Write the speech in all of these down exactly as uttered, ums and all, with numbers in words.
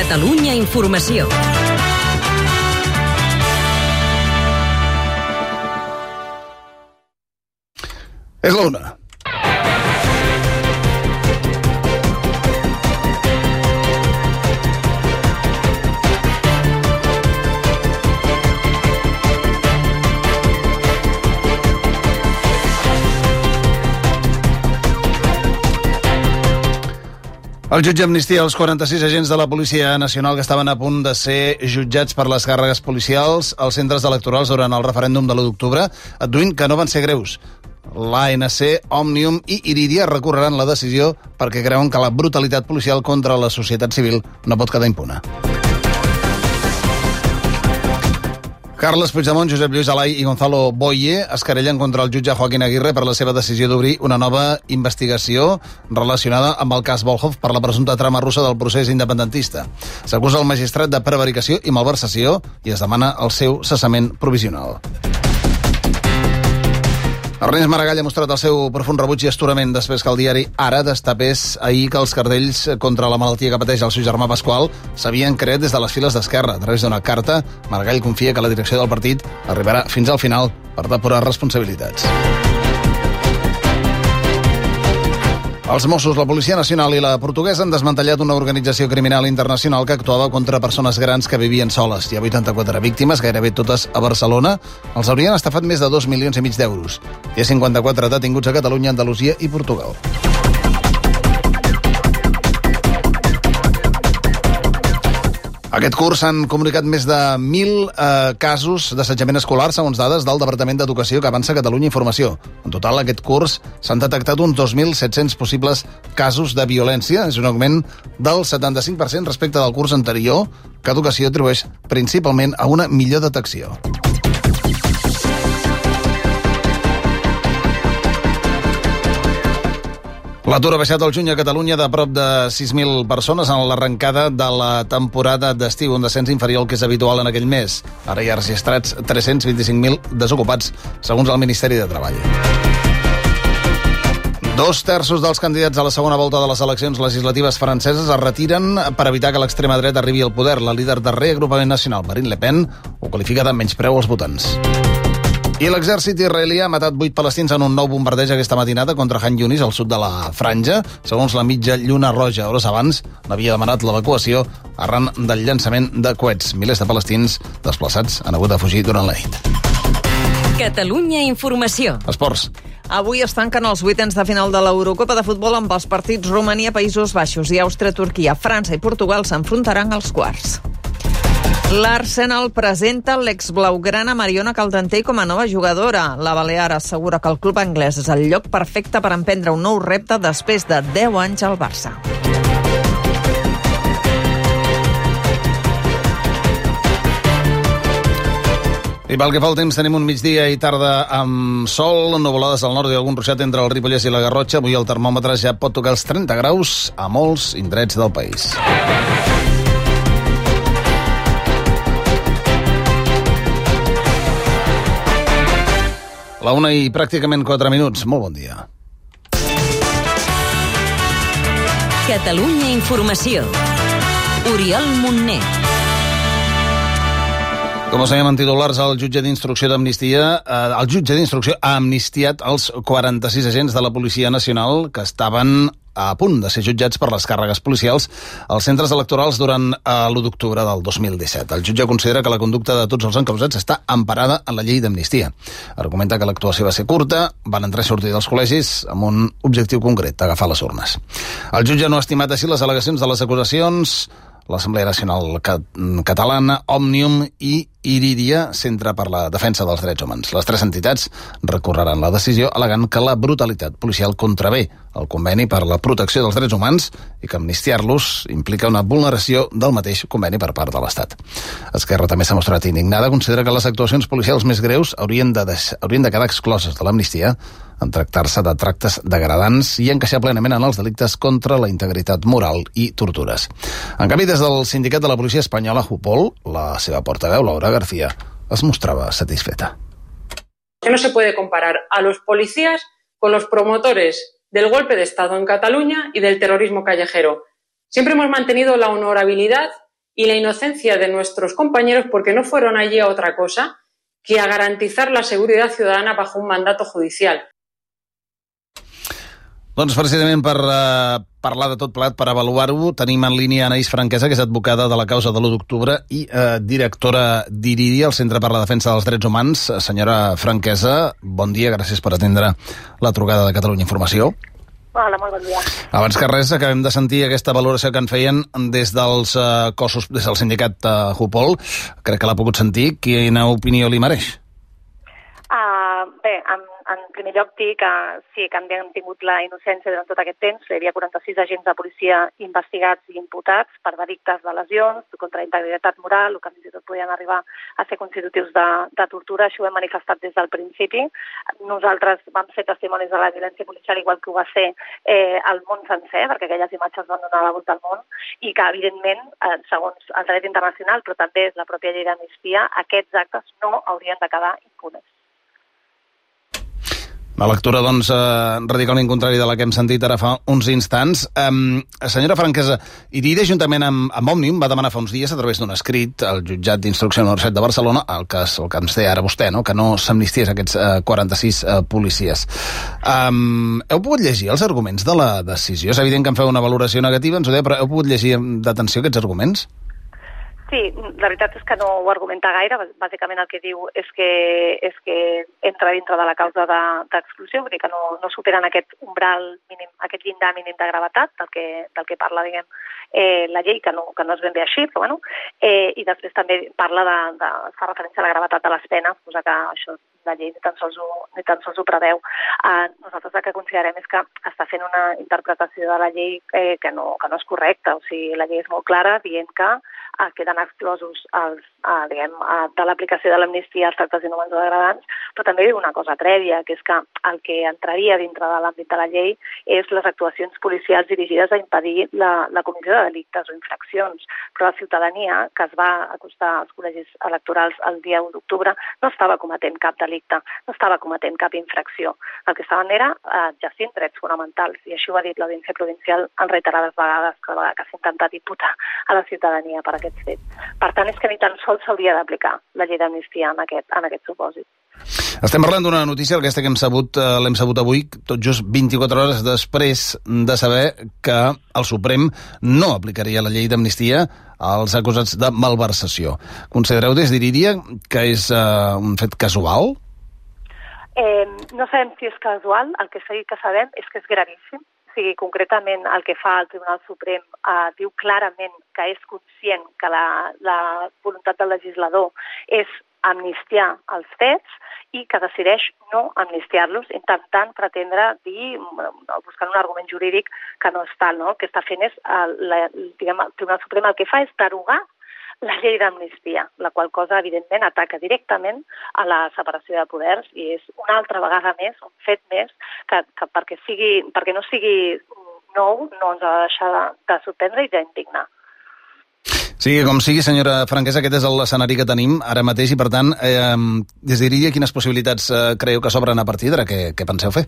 Catalunya Informació. És la una. El jutge amnistia els quaranta-sis agents de la Policia Nacional que estaven a punt de ser jutjats per les càrregues policials als centres electorals durant el referèndum de l'u d'octubre, adduint que no van ser greus. L'A N C, Òmnium i Irídia recorreran la decisió perquè creuen que la brutalitat policial contra la societat civil no pot quedar impune. Carles Puigdemont, Josep Lluís Alay i Gonzalo Boye es querellen contra el jutge Joaquín Aguirre per la seva decisió d'obrir una nova investigació relacionada amb el cas Volhov per la presumpta trama russa del procés independentista. S'acusa el magistrat de prevaricació i malversació i es demana el seu cessament provisional. Ernest Maragall ha mostrat el seu profund rebuig i astorament després que el diari Ara destapés ahir que els cartells contra la malaltia que pateix el seu germà Pasqual s'havien creat des de les files d'Esquerra. A través d'una carta, Maragall confia que la direcció del partit arribarà fins al final per depurar responsabilitats. Els Mossos, la Policia Nacional i la portuguesa han desmantellat una organització criminal internacional que actuava contra persones grans que vivien soles. Hi ha vuitanta-quatre víctimes, gairebé totes a Barcelona. Els haurien estafat més de dos milions i mig d'euros. Hi ha cinquanta-quatre detinguts a Catalunya, Andalusia i Portugal. Aquest curs s'han comunicat més de mil eh, casos d'assetjament escolar, segons dades del Departament d'Educació que avança Catalunya Informació. En total, aquest curs s'han detectat uns dos mil set-cents possibles casos de violència. És un augment del setanta-cinc per cent respecte del curs anterior, que Educació atribueix principalment a una millor detecció. L'atur ha baixat al juny a Catalunya de prop de sis mil persones en l'arrencada de la temporada d'estiu, un descens inferior al que és habitual en aquell mes. Ara hi ha registrats tres-cents vint-i-cinc mil desocupats, segons el Ministeri de Treball. Dos terços dels candidats a la segona volta de les eleccions legislatives franceses es retiren per evitar que l'extrema dreta arribi al poder. La líder de Reagrupament Nacional, Marine Le Pen, ho qualifica de menyspreu als votants. I l'exèrcit israelià ha matat vuit palestins en un nou bombardeig aquesta matinada contra Han Yunis, al sud de la Franja. Segons la mitja Lluna Roja, hores abans n'havia demanat l'evacuació arran del llançament de coets. Milers de palestins desplaçats han hagut de fugir durant la nit. Catalunya Informació. Esports. Avui es tanquen els vuitens de final de l'Eurocopa de futbol amb els partits Romania, Països Baixos i Àustria, Turquia. França i Portugal s'enfrontaran als quarts. L'Arsenal presenta l'exblaugrana Mariona Caldentey com a nova jugadora. La balear assegura que el club anglès és el lloc perfecte per emprendre un nou repte després de deu anys al Barça. I pel que fa al temps, tenim un migdia i tarda amb sol, nuvolades al nord i algun ruixat entre el Ripollès i la Garrotxa. Avui el termòmetre ja pot tocar els trenta graus a molts indrets del país. La una i pràcticament quatre minuts. Molt bon dia. Catalunya Informació. Oriol Montner. Com us dèiem en titulars, el jutge d'instrucció d'amnistia, eh, el jutge d'instrucció ha amnistiat els quaranta-sis agents de la Policia Nacional que estaven a punt de ser jutjats per les càrregues policials als centres electorals durant eh, l'u d'octubre del dos mil disset. El jutge considera que la conducta de tots els encausats està emparada en la llei d'amnistia. Argumenta que l'actuació va ser curta, van entrar i sortir dels col·legis amb un objectiu concret, agafar les urnes. El jutge no ha estimat així les al·legacions de les acusacions. L'Assemblea Nacional Catalana, Òmnium i Irídia, Centre per la Defensa dels Drets Humans. Les tres entitats recorreran la decisió al·legant que la brutalitat policial contravé el conveni per la protecció dels drets humans i que amnistiar-los implica una vulneració del mateix conveni per part de l'Estat. Esquerra també s'ha mostrat indignada, considera que les actuacions policials més greus haurien de, deix... haurien de quedar excloses de l'amnistia en tractar-se de tractes degradants i encaixar plenament en els delictes contra la integritat moral i tortures. En canvi, des del sindicat de la policia espanyola, Jupol, la seva portaveu, Laura García, es mostrava satisfeta. Que no se puede comparar a los policías con los promotores del golpe de Estado en Cataluña y del terrorismo callejero. Siempre hemos mantenido la honorabilidad y la inocencia de nuestros compañeros porque no fueron allí a otra cosa que a garantizar la seguridad ciudadana bajo un mandato judicial. Doncs precisament per uh, parlar de tot plegat, per avaluar-ho, tenim en línia Anaïs Franquesa, que és advocada de la causa de l'u d'octubre i uh, directora d'IRIDI, el Centre per la Defensa dels Drets Humans. Senyora Franquesa, bon dia, gràcies per atendre la trucada de Catalunya Informació. Hola, molt bon dia. Abans que res, acabem de sentir aquesta valoració que en feien des dels uh, cossos, des del sindicat uh, Jupol. Crec que l'ha pogut sentir. Quina opinió li mereix? Uh, bé, en, en primer lloc dir que sí, que han tingut la innocència durant tot aquest temps. Hi havia quaranta-sis agents de policia investigats i imputats per delictes de lesions, contra la integritat moral, o que fins i tot podien arribar a ser constitutius de, de tortura. Això ho hem manifestat des del principi. Nosaltres vam ser testimonis de la violència policial, igual que ho va ser eh, el món sencer, perquè aquelles imatges van donar la volta al món, i que, evidentment, eh, segons el dret internacional, però també la pròpia llei d'amnistia, aquests actes no haurien de quedar impunes. La lectura, doncs, eh, radicalment contrària de la que hem sentit ara fa uns instants. Um, senyora Franquesa, IRIDI, juntament amb, amb Òmnium, va demanar fa uns dies, a través d'un escrit, al jutjat d'instrucció número set de Barcelona, el que, el que ens té ara vostè, no? Que no s'amnisties aquests eh, quaranta-sis eh, policies. Um, heu pogut llegir els arguments de la decisió? És evident que em feu una valoració negativa, ens ho deia, però heu pogut llegir amb d'atenció aquests arguments? Sí, la veritat és que no ho argumenta gaire. Bàsicament el que diu és que, és que entra dintre de la causa d'exclusió, vull dir que no, no superen aquest umbral mínim, aquest llindar mínim de gravetat del que, del que parla, diguem, eh, la llei, que no, que no és ben bé així, però bueno, eh, i després també parla de, de, fa referència a la gravetat de les penes, cosa que això la llei ni tan sols ho, ni tan sols ho preveu. Uh, nosaltres el que considerem és que està fent una interpretació de la llei eh, que, no, que no és correcta. O sigui, la llei és molt clara dient que uh, queden exclosos els, uh, diguem, uh, de l'aplicació de l'amnistia als tractes inhumans o degradants, però també diu una cosa prèvia, que és que el que entraria dintre de l'àmbit de la llei és les actuacions policials dirigides a impedir la, la comissió de delictes o infraccions. Però la ciutadania que es va acostar als col·legis electorals el dia u d'octubre no estava cometent cap delicte, no estava cometent cap infracció. El que estaven era eh, exercint drets fonamentals, i així ho ha dit l'Audiència Provincial en reiterades vegades que, que s'ha intentat imputar a la ciutadania per aquests fets. Per tant, és que ni tan sols s'hauria d'aplicar la llei d'amnistia en aquest, en aquest supòsit. Estem parlant d'una notícia, aquesta que hem sabut, eh, l'hem sabut avui, tot just vint-i-quatre hores després de saber que el Suprem no aplicaria la llei d'amnistia als acusats de malversació. Considereu des d'IRIDI que és eh, un fet casual? Eh, no sabem si és casual, el que sí que sabem és que és gravíssim. O sigui, concretament el que fa el Tribunal Suprem eh, diu clarament que és conscient que la, la voluntat del legislador és amnistiar els fets i que decideix no amnistiar-los, intentant pretendre dir, buscant un argument jurídic que no és tal, no? El que està fent és, el, la, diguem, el Tribunal Suprem el que fa és derogar la llei d'amnistia, la qual cosa, evidentment, ataca directament a la separació de poders i és una altra vegada més, un fet més, que, que perquè, sigui, perquè no sigui nou no ens ha de deixar de, de sorprendre i d'indignar. Sigui com sigui, senyora Franquesa, aquest és l'escenari que tenim ara mateix i, per tant, eh, des d'IRIDI, quines possibilitats eh, creieu que s'obren a partir d'ara? Què, què penseu fer?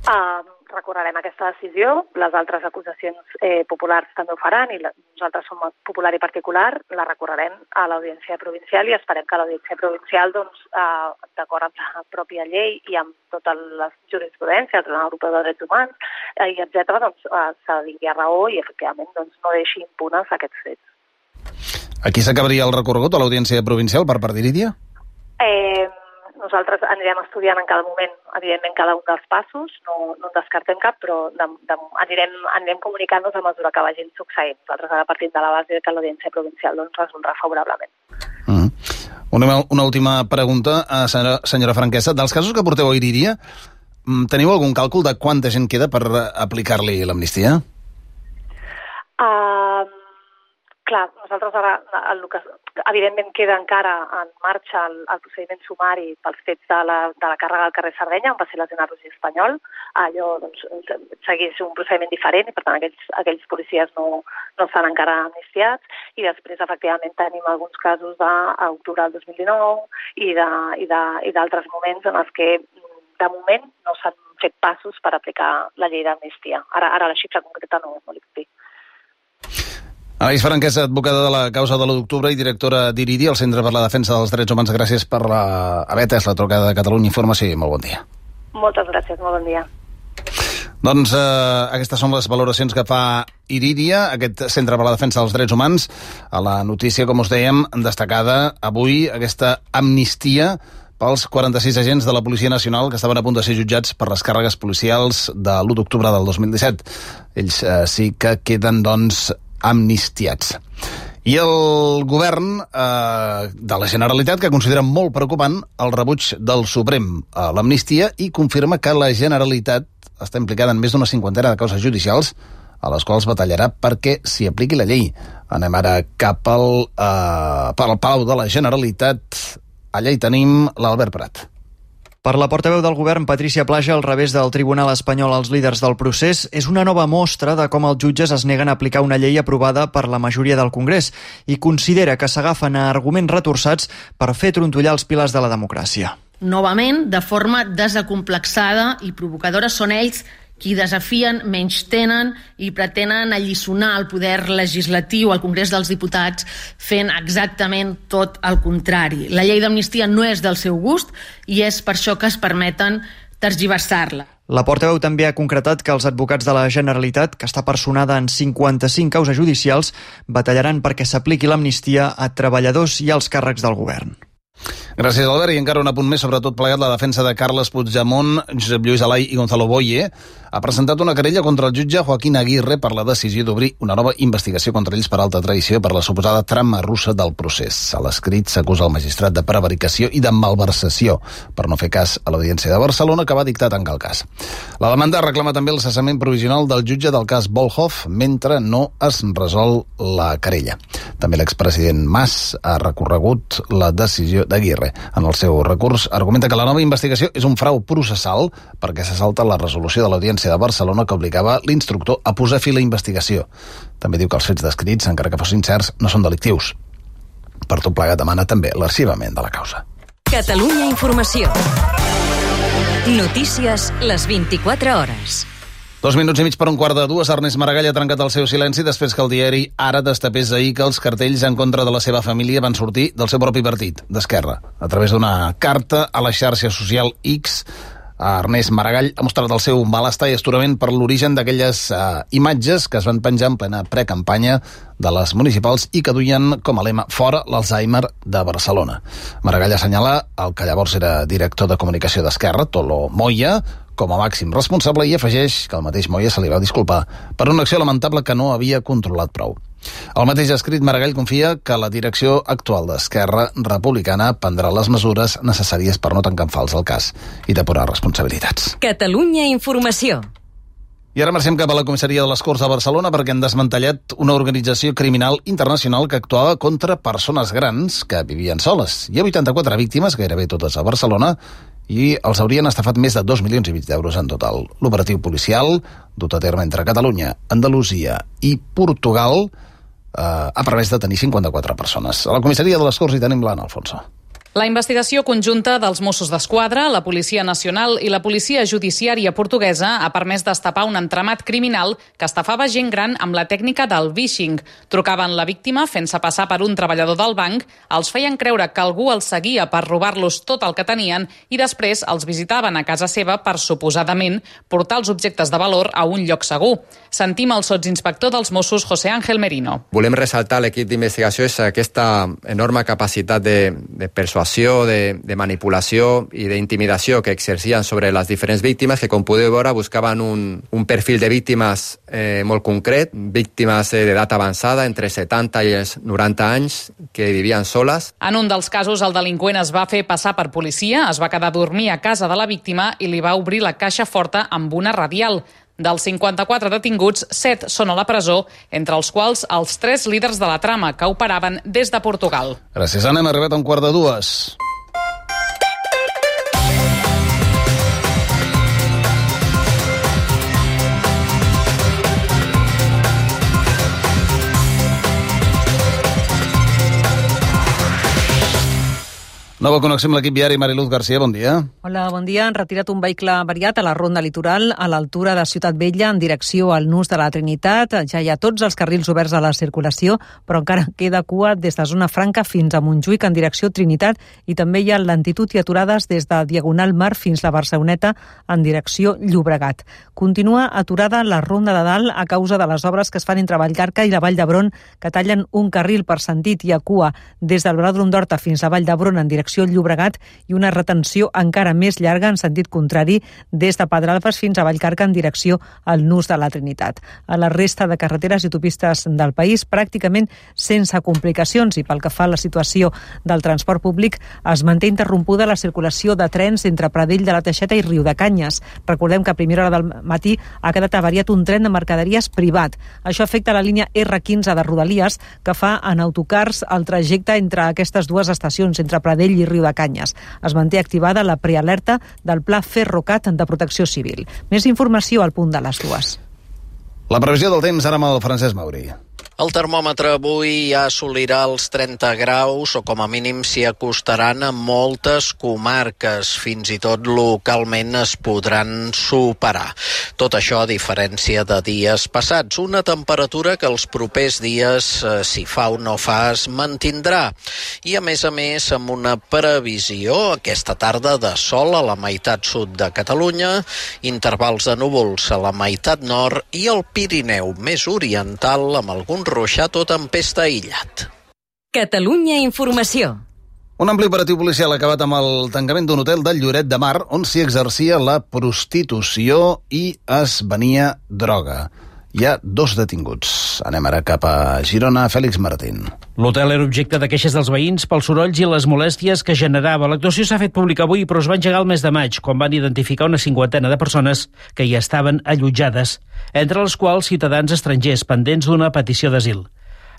Uh, recorrerem aquesta decisió, les altres acusacions eh, populars també ho faran i la, nosaltres som popular i particular, la recorrerem a l'Audiència Provincial i esperem que l'Audiència Provincial, doncs, uh, d'acord amb la pròpia llei i amb totes les jurisprudències, el Tribunal Europeu de Drets Humans, eh, i etcètera, doncs, uh, se vingui a raó i, efectivament, doncs, no deixi impunes aquests fets. Aquí s'acabaria el recorregut a l'Audiència Provincial per part d'IRIDI? Eh, nosaltres anirem estudiant en cada moment, evidentment, cada un dels passos, no, no en descartem cap, però de, de, anirem, anirem comunicant-nos a mesura que vagin succeint. Nosaltres ara partim de la base que l'Audiència Provincial doncs, resoldrà favorablement. Mm. Una, una última pregunta, senyora, senyora Franquesa. Dels casos que porteu a IRIDI, teniu algun càlcul de quanta gent queda per aplicar-li l'amnistia? Uh, clar, nosaltres ara, el, el que, evidentment queda encara en marxa el, el procediment sumari pels fets de la, de la càrrega al carrer Sardenya, on va ser lesionat Roger Espanyol. Allò doncs, segueix un procediment diferent i, per tant, aquells, aquells policies no, no estan encara amnistiats. I després, efectivament, tenim alguns casos d'octubre del dos mil dinou i d'altres moments en els que, de moment, no s'han fet passos per aplicar la llei d'amnistia. Ara, ara la xifra concreta no, no li puc dir. Anaïs Franquesa, advocada de la causa de l'u d'octubre i directora d'IRIDI, el Centre per la Defensa dels Drets Humans. Gràcies per la... haver atès la trucada de Catalunya Informació i molt bon dia. Moltes gràcies, molt bon dia. Doncs eh, aquestes són les valoracions que fa IRIDIA, aquest Centre per la Defensa dels Drets Humans. A la notícia, com us dèiem, destacada avui aquesta amnistia pels quaranta-sis agents de la Policia Nacional que estaven a punt de ser jutjats per les càrregues policials de l'u d'octubre del dos mil disset. Ells eh, sí que queden, doncs, amnistiats. I el govern eh, de la Generalitat, que considera molt preocupant el rebuig del Suprem a l'amnistia i confirma que la Generalitat està implicada en més d'una cinquantena de causes judicials a les quals batallarà perquè s'hi apliqui la llei. Anem ara cap al, eh, per al Palau de la Generalitat. Allà hi tenim l'Albert Prat. Per la portaveu del govern, Patricia Plaja, al revés del Tribunal espanyol als líders del procés, és una nova mostra de com els jutges es neguen a aplicar una llei aprovada per la majoria del Congrés i considera que s'agafen a arguments retorçats per fer trontollar els pilars de la democràcia. Novament, de forma desacomplexada i provocadora, són ells qui desafien, menystenen i pretenen alliçonar el poder legislatiu al Congrés dels Diputats fent exactament tot el contrari. La llei d'amnistia no és del seu gust i és per això que es permeten tergiversar-la. La portaveu també ha concretat que els advocats de la Generalitat, que està personada en cinquanta-cinc causes judicials, batallaran perquè s'apliqui l'amnistia a treballadors i als càrrecs del govern. Gràcies, Albert. I encara un apunt més, sobretot plegat, la defensa de Carles Puigdemont, Josep Lluís Alay i Gonzalo Boye ha presentat una querella contra el jutge Joaquín Aguirre per la decisió d'obrir una nova investigació contra ells per alta traïció per la suposada trama russa del procés. A l'escrit s'acusa el magistrat de prevaricació i de malversació per no fer cas a l'Audiència de Barcelona, que va dictar tancar el cas. La demanda reclama també el cessament provisional del jutge del cas Volhov mentre no es resol la querella. També l'expresident Mas ha recorregut la decisió d'Aguirre. En el seu recurs argumenta que la nova investigació és un frau processal perquè se salta la resolució de l'Audiència de Barcelona que obligava l'instructor a posar fi a la investigació. També diu que els fets descrits, encara que fossin certs, no són delictius. Per tot plegat demana també l'arxivament de la causa. Catalunya Informació. Notícies les vint-i-quatre hores. Dos minuts i mig per un quart de dues. Ernest Maragall ha trencat el seu silenci després que el diari Ara destapés ahir que els cartells en contra de la seva família van sortir del seu propi partit, d'Esquerra. A través d'una carta a la xarxa social X, Ernest Maragall ha mostrat el seu malestar i astorament per l'origen d'aquelles uh, imatges que es van penjar en plena precampanya de les municipals i que duien com a lema "Fora l'Alzheimer de Barcelona". Maragall assenyala el que llavors era director de comunicació d'Esquerra, Tolo Moya, com a màxim responsable i afegeix que el mateix Moya se li va disculpar per una acció lamentable que no havia controlat prou. El mateix escrit, Maragall confia que la direcció actual d'Esquerra Republicana prendrà les mesures necessàries per no tancar en fals el cas i depurar responsabilitats. Catalunya Informació. I ara marxem cap a la comissaria de les Corts de Barcelona perquè han desmantellat una organització criminal internacional que actuava contra persones grans que vivien soles. Hi ha vuitanta-quatre víctimes, gairebé totes a Barcelona, i els haurien estafat més de dos milions i mig d'euros en total. L'operatiu policial, dut a terme entre Catalunya, Andalusia i Portugal, eh, ha permès detenir cinquanta-quatre persones. A la comissaria de les Corts hi tenim l'Anna Alfonso. La investigació conjunta dels Mossos d'Esquadra, la Policia Nacional i la Policia Judiciària portuguesa ha permès destapar un entramat criminal que estafava gent gran amb la tècnica del vishing. Trucaven la víctima fent-se passar per un treballador del banc, els feien creure que algú els seguia per robar-los tot el que tenien i després els visitaven a casa seva per suposadament portar els objectes de valor a un lloc segur. Sentim el sotsinspector dels Mossos, José Ángel Merino. Volem ressaltar l'equip d'investigació és aquesta enorme capacitat de, de persuasió, de, de manipulació i d'intimidació que exercien sobre les diferents víctimes, que com podeu veure buscaven un, un perfil de víctimes eh, molt concret, víctimes eh, d'edat avançada, entre setanta i els noranta anys, que vivien soles. En un dels casos, el delinqüent es va fer passar per policia, es va quedar a dormir a casa de la víctima i li va obrir la caixa forta amb una radial. Dels cinquanta-quatre detinguts, set són a la presó, entre els quals els tres líders de la trama que operaven des de Portugal. Gràcies, Anna. Hem arribat a un quart de dues. Nova connexió amb l'equip viari. Mariluz García, bon dia. Hola, bon dia. Han retirat un vehicle variat a la ronda litoral a l'altura de Ciutat Vella en direcció al Nus de la Trinitat. Ja hi ha tots els carrils oberts a la circulació, però encara queda cua des de Zona Franca fins a Montjuïc en direcció Trinitat i també hi ha lentitud i aturades des de Diagonal Mar fins a Barceloneta en direcció Llobregat. Continua aturada la ronda de dalt a causa de les obres que es fan entre Vallcarca i la Vall d'Hebron, que tallen un carril per sentit i a cua des del Velòdrom d'Horta fins a Vall d'Hebron en direcció Llobregat i una retenció encara més llarga en sentit contrari des de Pedralbes fins a Vallcarca en direcció al Nus de la Trinitat. A la resta de carreteres i autopistes del país pràcticament sense complicacions i pel que fa a la situació del transport públic es manté interrompuda la circulació de trens entre Pradell de la Teixeta i Riudecanyes. Recordem que a primera hora del matí ha quedat avariat un tren de mercaderies privat. Això afecta la línia erre quinze de Rodalies que fa en autocars el trajecte entre aquestes dues estacions, entre Pradell i Riudecanyes. Es manté activada la prealerta del Pla Ferrocat de Protecció Civil. Més informació al punt de les dues. La previsió del temps ara amb el Francesc Mauri. El termòmetre avui ja assolirà els trenta graus o com a mínim s'hi acostaran a moltes comarques. Fins i tot localment es podran superar. Tot això a diferència de dies passats. Una temperatura que els propers dies, eh, si fa o no fa, es mantindrà. I a més a més amb una previsió aquesta tarda de sol a la meitat sud de Catalunya, intervals de núvols a la meitat nord i el Pirineu més oriental amb algun ruixat o tempesta aïllat. Catalunya Informació. Un ampli operatiu policial ha acabat amb el tancament d'un hotel de Lloret de Mar on s'hi exercia la prostitució i es venia droga. Hi ha dos detinguts. Anem ara cap a Girona. Fèlix Martín. L'hotel era objecte de queixes dels veïns pels sorolls i les molèsties que generava. L'actuació s'ha fet pública avui, però es va engegar el mes de maig, quan van identificar una cinquantena de persones que hi estaven allotjades, entre les quals ciutadans estrangers pendents d'una petició d'asil.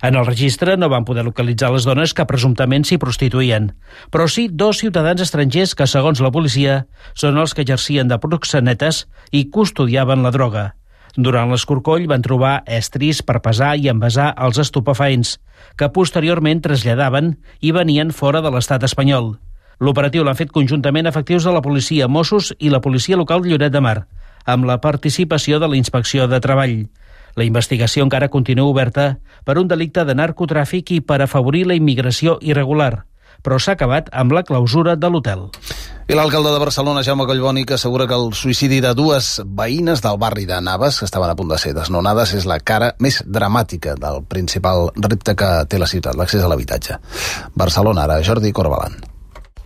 En el registre no van poder localitzar les dones que presumptament s'hi prostituïen, però sí dos ciutadans estrangers que, segons la policia, són els que exercien de proxenetes i custodiaven la droga. Durant l'escorcoll van trobar estris per pesar i envasar els estupefaents, que posteriorment traslladaven i venien fora de l'estat espanyol. L'operatiu l'han fet conjuntament efectius de la policia, Mossos i la policia local de Lloret de Mar, amb la participació de la Inspecció de Treball. La investigació encara continua oberta per un delicte de narcotràfic i per afavorir la immigració irregular, però s'ha acabat amb la clausura de l'hotel. I l'alcalde de Barcelona, Jaume Collboni, que assegura que el suïcidi de dues veïnes del barri de Navas, que estaven a punt de ser desnonades, és la cara més dramàtica del principal repte que té la ciutat, l'accés a l'habitatge. Barcelona, ara, Jordi Corbalan.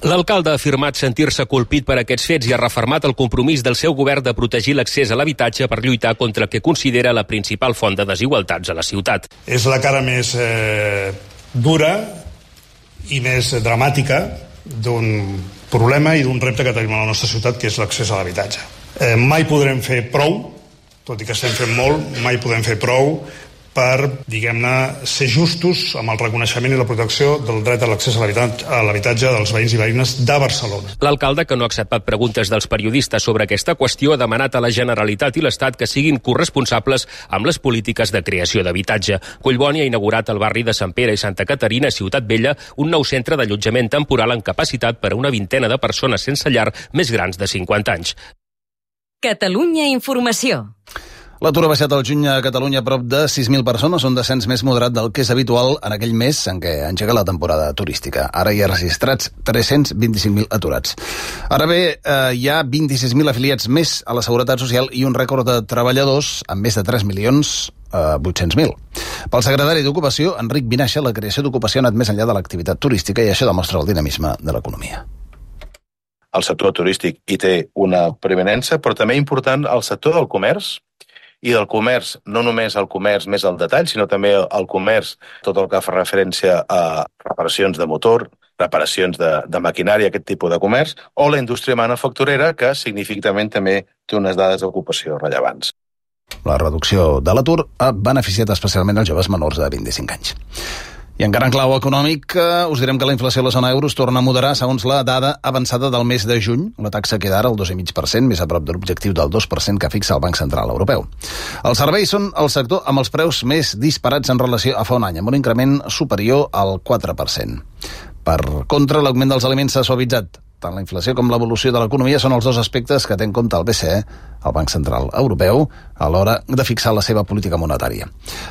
L'alcalde ha afirmat sentir-se colpit per aquests fets i ha refermat el compromís del seu govern de protegir l'accés a l'habitatge per lluitar contra el que considera la principal font de desigualtats a la ciutat. És la cara més eh, dura i més dramàtica d'un problema i d'un repte que tenim a la nostra ciutat, que és l'accés a l'habitatge. Eh, mai podrem fer prou, tot i que estem fent molt, mai podem fer prou per, diguem-ne, ser justos amb el reconeixement i la protecció del dret a l'accés a l'habitatge dels veïns i veïnes de Barcelona. L'alcalde, que no ha acceptat preguntes dels periodistes sobre aquesta qüestió, ha demanat a la Generalitat i l'Estat que siguin corresponsables amb les polítiques de creació d'habitatge. Collboni ha inaugurat al barri de Sant Pere i Santa Caterina, a Ciutat Vella, un nou centre d'allotjament temporal amb capacitat per a una vintena de persones sense llar més grans de cinquanta anys. Catalunya Informació. L'atur ha baixat al juny a Catalunya a prop de sis mil persones, un descens més moderat del que és habitual en aquell mes en què engega la temporada turística. Ara hi ha registrats tres-cents vint-i-cinc mil aturats. Ara bé, eh, hi ha vint-i-sis mil afiliats més a la Seguretat Social i un rècord de treballadors amb més de tres milions vuit-cents mil. Pel secretari d'Ocupació, Enric Vinaixa, la creació d'ocupació ha anat més enllà de l'activitat turística i això demostra el dinamisme de l'economia. El sector turístic hi té una preeminència, però també important el sector del comerç, i del comerç, no només el comerç més al detall, sinó també el comerç, tot el que fa referència a reparacions de motor, reparacions de, de maquinària, aquest tipus de comerç, o la indústria manufacturera, que significativament també té unes dades d'ocupació rellevants. La reducció de l'atur ha beneficiat especialment els joves menors de vint-i-cinc anys. I encara en clau econòmic, us direm que la inflació a la zona euro es torna a moderar segons la dada avançada del mes de juny. La taxa queda ara al dos coma cinc per cent, més a prop de l'objectiu del dos per cent que fixa el Banc Central Europeu. Els serveis són el sector amb els preus més disparats en relació a fa un any, amb un increment superior al quatre per cent. Per contra, l'augment dels aliments s'ha suavitzat. Tant la inflació com l'evolució de l'economia són els dos aspectes que té en compte el B C E, el Banc Central Europeu, a l'hora de fixar la seva política monetària.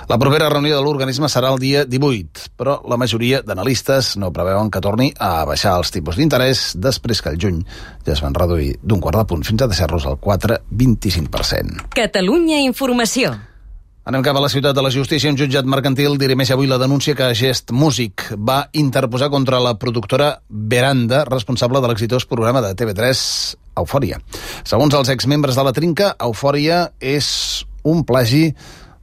La propera reunió de l'organisme serà el dia divuit, però la majoria d'analistes no preveuen que torni a baixar els tipus d'interès després que al juny ja es van reduir d'un quart de punt fins a deixar-los al quatre coma vint-i-cinc per cent. Catalunya Informació. Anem cap a la ciutat de la justícia. Un jutjat mercantil dirimeix avui la denúncia que Gest Music va interposar contra la productora Veranda, responsable de l'exitós programa de T V tres Eufòria. Segons els exmembres de la trinca, Eufòria és un plagi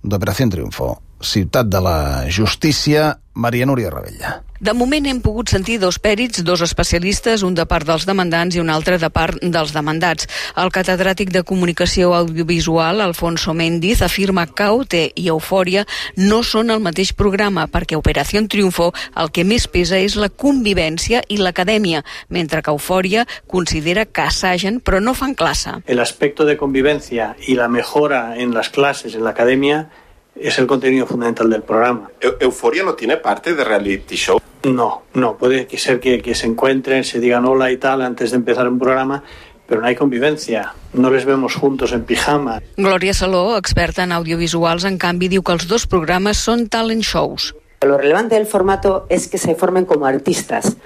d'Operació Triunfo. Ciutat de la justícia, Maria Núria Ravella. De moment hem pogut sentir dos pèrits, dos especialistes, un de part dels demandants i un altre de part dels demandats. El catedràtic de Comunicació Audiovisual, Alfonso Méndiz, afirma que O T i Eufòria no són el mateix programa, perquè Operació Triunfo el que més pesa és la convivència i l'acadèmia, mentre que Eufòria considera que assagen però no fan classe. El aspecto de convivencia y la mejora en las clases, en la academia, es el contenido fundamental del programa. ¿Eufória no tiene parte de reality show? No, no. Puede ser que, que se encuentren, se digan hola y tal antes de empezar un programa, pero no hay convivencia. No les vemos juntos en pijama. Glòria Saló, experta en audiovisuals, en canvi, diu que els dos programes són talent shows. Lo relevante del formato es que se formen como artistas,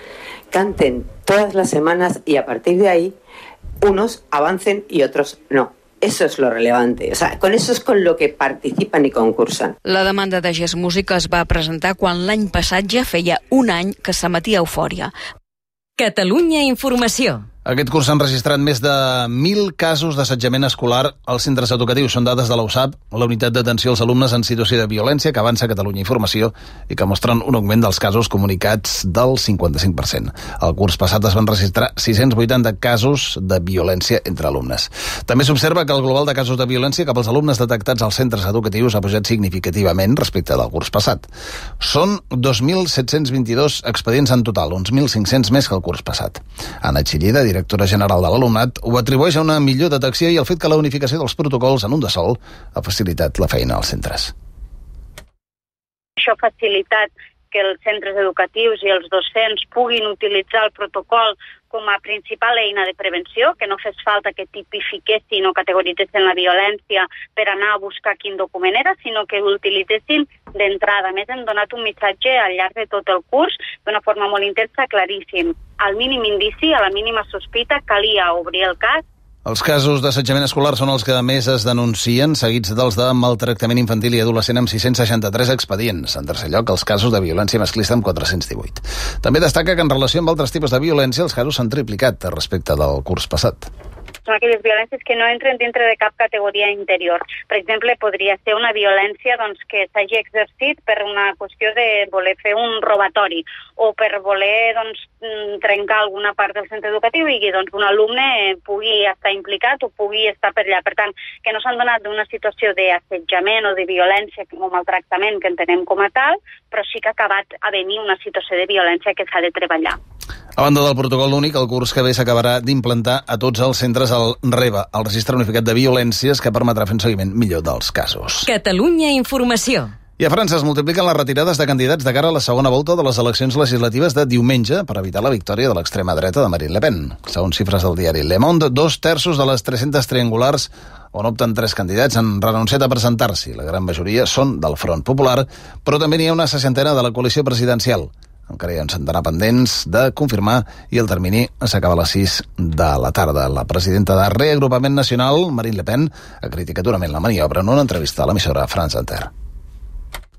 canten todas las semanas y a partir de ahí unos avancen y otros no. Eso es lo relevante. O sea, con eso es con lo que participan y concursan. La demanda de Gest Music es va presentar quan l'any passat ja feia un any que s'emetia Eufòria. Catalunya Informació. Aquest curs s'han registrat més de mil casos d'assetjament escolar als centres educatius. Són dades de l'U S A P, la unitat d'atenció als alumnes en situació de violència que avança Catalunya Informació i que mostren un augment dels casos comunicats del cinquanta-cinc per cent. El curs passat es van registrar sis-cents vuitanta casos de violència entre alumnes. També s'observa que el global de casos de violència cap als alumnes detectats als centres educatius ha pujat significativament respecte del curs passat. Són dos mil set-cents vint-i-dos expedients en total, uns mil cinc-cents més que el curs passat. Anna Chillida, directora general de l'alumnat, ho atribueix a una millor detecció i al fet que la unificació dels protocols en un de sol ha facilitat la feina als centres. Això ha facilitat que els centres educatius i els docents puguin utilitzar el protocol com a principal eina de prevenció, que no fes falta que tipifiquessin o categoritzessin la violència per anar a buscar quin document era, sinó que l'utilitzessin d'entrada. A més, hem donat un missatge al llarg de tot el curs d'una forma molt intensa, claríssim. Al mínim indici, a la mínima sospita, calia obrir el cas. Els casos d'assetjament escolar són els que més es denuncien, seguits dels de maltractament infantil i adolescent amb sis-cents seixanta-tres expedients. En tercer lloc, els casos de violència masclista amb quatre-cents divuit. També destaca que en relació amb altres tipus de violència els casos s'han triplicat respecte del curs passat. Són aquelles violències que no entren dintre de cap categoria interior. Per exemple, podria ser una violència doncs, que s'hagi exercit per una qüestió de voler fer un robatori o per voler doncs, trencar alguna part del centre educatiu i que doncs, un alumne pugui estar implicat o pugui estar per allà. Per tant, que no s'han donat d'una situació d'assetjament o de violència o maltractament que entenem com a tal, però sí que ha acabat a venir una situació de violència que s'ha de treballar. A banda del protocol únic, el curs que ve s'acabarà d'implantar a tots els centres el REVA, el Registre Unificat de Violències, que permetrà fer un seguiment millor dels casos. Catalunya Informació. I a França es multipliquen les retirades de candidats de cara a la segona volta de les eleccions legislatives de diumenge per evitar la victòria de l'extrema dreta de Marine Le Pen. Segons xifres del diari Le Monde, dos terços de les tres-centes triangulars on opten tres candidats han renunciat a presentar-s'hi. La gran majoria són del Front Popular, però també n'hi ha una seixantena de la coalició presidencial. Encara hi ha un centenar pendents de confirmar i el termini s'acaba a les sis de la tarda. La presidenta de Reagrupament Nacional, Marine Le Pen, ha criticat durament la maniobra en una entrevista a l'emissora France Inter.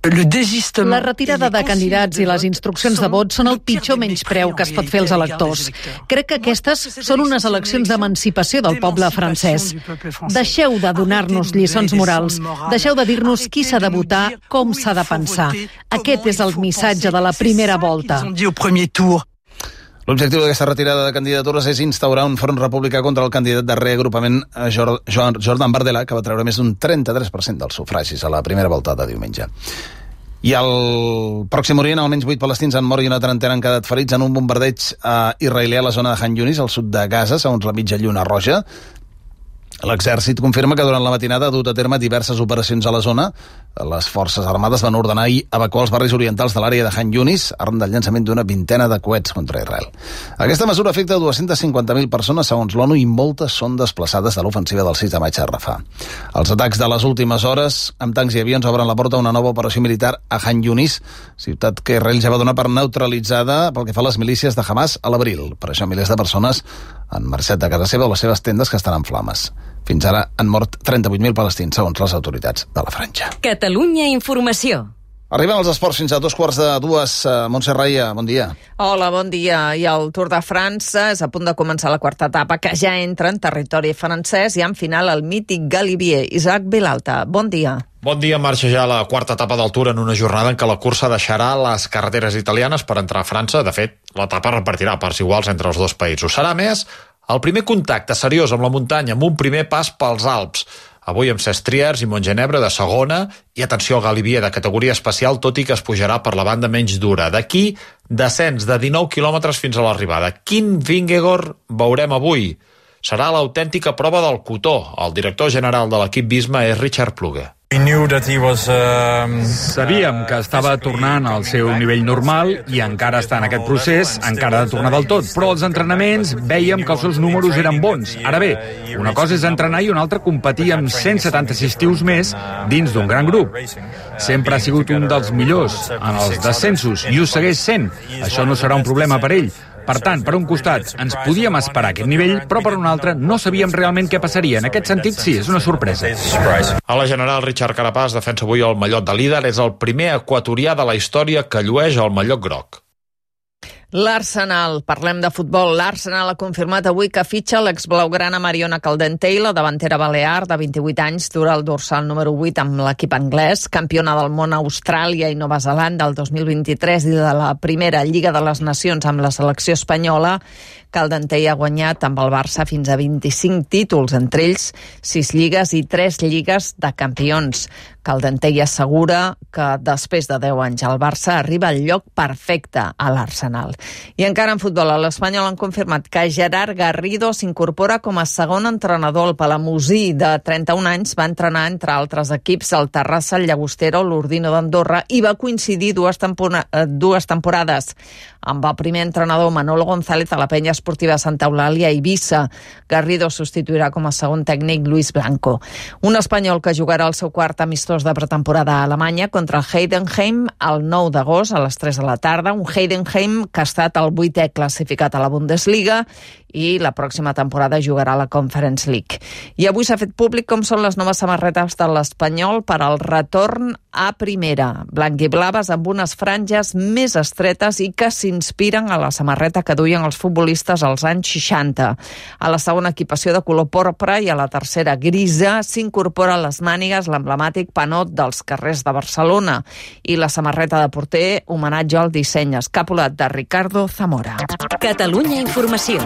La retirada de candidats i les instruccions de vot són el pitjor menyspreu que es pot fer als electors. Crec que aquestes són unes eleccions d'emancipació del poble francès. Deixeu de donar-nos lliçons morals. Deixeu de dir-nos qui s'ha de votar, com s'ha de pensar. Aquest és el missatge de la primera volta. L'objectiu d'aquesta retirada de candidatures és instaurar un front republicà contra el candidat de reagrupament Jordan Bardella, que va treure més d'un trenta-tres per cent dels sufragis a la primera volta de diumenge. I al Pròxim Orient, almenys vuit palestins han mort i una trentena han quedat ferits en un bombardeig israelià a la zona de Han Yunis, al sud de Gaza, segons la mitja lluna roja. L'exèrcit confirma que durant la matinada ha dut a terme diverses operacions a la zona, Les forces armades van ordenar ahir evacuar els barris orientals de l'àrea de Han Yunis arran del llançament d'una vintena de coets contra Israel. Aquesta mesura afecta dues-centes cinquanta mil persones, segons l'ONU, i moltes són desplaçades de l'ofensiva del sis de maig a Rafah. Els atacs de les últimes hores amb tancs i avions obren la porta a una nova operació militar a Han Yunis, ciutat que Israel ja va donar per neutralitzada pel que fa a les milícies de Hamas a l'abril. Per això milers de persones han marxat de casa seva o les seves tendes, que estan en flames. Fins ara han mort trenta-vuit mil palestins, segons les autoritats de la franja. Catalunya Informació. Arriben els esports fins a dos quarts de dues. Montse Raia, bon dia. Hola, bon dia. I el Tour de França és a punt de començar la quarta etapa, que ja entra en territori francès i en final el mític Galibier. Isaac Vilalta, bon dia. Bon dia, marxa ja la quarta etapa del Tour en una jornada en què la cursa deixarà les carreteres italianes per entrar a França. De fet, l'etapa repartirà parts iguals entre els dos països. Serà més el primer contacte seriós amb la muntanya, amb un primer pas pels Alps. Avui amb Sestriers i Montgenebre de segona i, atenció, al Galibier de categoria especial, tot i que es pujarà per la banda menys dura. D'aquí, descens de dinou quilòmetres fins a l'arribada. Quin Vingegaard veurem avui? Serà l'autèntica prova del cotó. El director general de l'equip Visma és Richard Plugge. Sabíem que estava tornant al seu nivell normal i encara està en aquest procés, encara ha de tornar del tot, però als entrenaments vèiem que els seus números eren bons. Ara bé, una cosa és entrenar i una altra competir amb cent setanta-sis tios més dins d'un gran grup. Sempre ha sigut un dels millors en els descensos i ho segueix sent. Això no serà un problema per ell. Per tant, per un costat, ens podíem esperar aquest nivell, però per un altre no sabíem realment què passaria. En aquest sentit, sí, és una sorpresa. A la general, Richard Carapaz defensa avui el mallot de líder. És el primer equatorià de la història que llueix el mallot groc. L'Arsenal, parlem de futbol. L'Arsenal ha confirmat avui que fitxa l'exblaugrana Mariona Caldentey, la davantera balear de vint-i-vuit anys, dura el dorsal número vuit amb l'equip anglès, campiona del món a Austràlia i Nova Zelanda el dos mil vint-i-tres i de la primera Lliga de les Nacions amb la selecció espanyola. Caldentey ha guanyat amb el Barça fins a vint-i-cinc títols, entre ells sis lligues i tres lligues de campions. Caldentey assegura que després de deu anys el Barça arriba al lloc perfecte a l'Arsenal. I encara en futbol, a l'Espanyol han confirmat que Gerard Garrido s'incorpora com a segon entrenador. El palamosí de trenta-un anys va entrenar, entre altres equips, el Terrassa, el Llagostera o l'Ordino d'Andorra i va coincidir dues, tempora- dues temporades amb el primer entrenador Manolo González a la penya esportiva Santa Eulàlia a Eivissa. Garrido substituirà com a segon tècnic Luis Blanco. Un espanyol que jugarà el seu quart amistós de pretemporada a Alemanya contra el Heidenheim el nou d'agost a les tres de la tarda. Un Heidenheim que ha estat el vuitè classificat a la Bundesliga i la pròxima temporada jugarà a la Conference League. I avui s'ha fet públic com són les noves samarretes de l'Espanyol per al retorn a primera. Blanc-i-blaves amb unes franges més estretes i que s'inspiren a la samarreta que duien els futbolistes als anys seixanta. A la segona equipació de color porpra i a la tercera grisa s'incorpora a les mànigues l'emblemàtic panot dels carrers de Barcelona i la samarreta de porter homenatge al disseny escapulat de Ricardo Zamora. Catalunya Informació.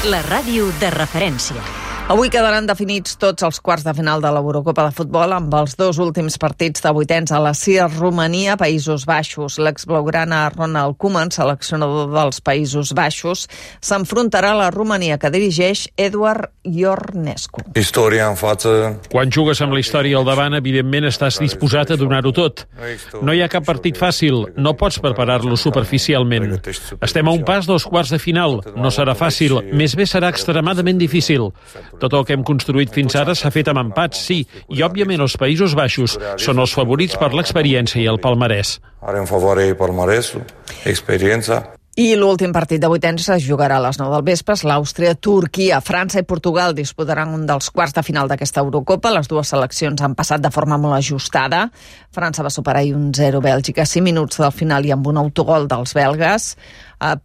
La ràdio de referència. Avui quedaran definits tots els quarts de final de l'Eurocopa de futbol amb els dos últims partits de vuitens a la C I R Romania, Països Baixos. L'exblaugrana Ronald Koeman, seleccionador dels Països Baixos, s'enfrontarà a la Romania que dirigeix Eduard Ionescu. Història en față. Quan jugues amb la història al davant, evidentment estàs disposat a donar-ho tot. No hi ha cap partit fàcil, no pots preparar-lo superficialment. Estem a un pas dels quarts de final, no serà fàcil, més bé serà extremadament difícil. Tot el que hem construït fins ara s'ha fet amb empats, sí, i òbviament els Països Baixos són els favorits per l'experiència i el palmarès. Are în favoare palmarès, experiència. I l'últim partit de vuitens es jugarà a les nou del vespre. L'Àustria, Turquia, França i Portugal disputaran un dels quarts de final d'aquesta Eurocopa. Les dues seleccions han passat de forma molt ajustada. França va superar ahir un zero Bèlgica a cinc minuts del final i amb un autogol dels belgues.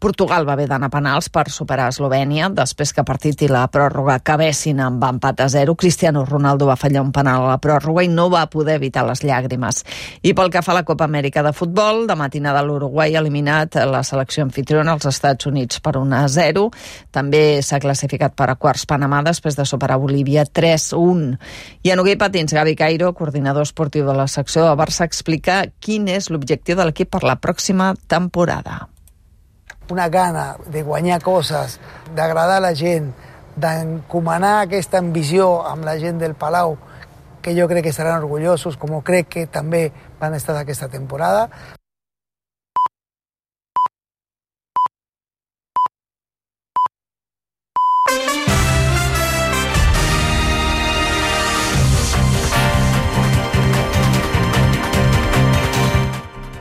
Portugal va haver d'anar a penals per superar Eslovènia després que el partit i la pròrroga acabessin amb empat a zero. Cristiano Ronaldo va fallar un penal a la pròrroga i no va poder evitar les llàgrimes. I pel que fa a la Copa Amèrica de futbol, de matinada l'Uruguai ha eliminat la selecció anfitriona als Estats Units per un a zero. També s'ha classificat per a quarts Panamà després de superar Bolívia tres a un. I en hoquei patins, Gavi Cairo, coordinador esportiu de la secció del Barça, explica quin és l'objectiu de l'equip per la pròxima temporada. Una gana de guanyar coses, d'agradar a la gent, d'encomanar aquesta ambició amb la gent del Palau, que yo creo que estarán orgullosos, como creo que també van a estar aquesta temporada.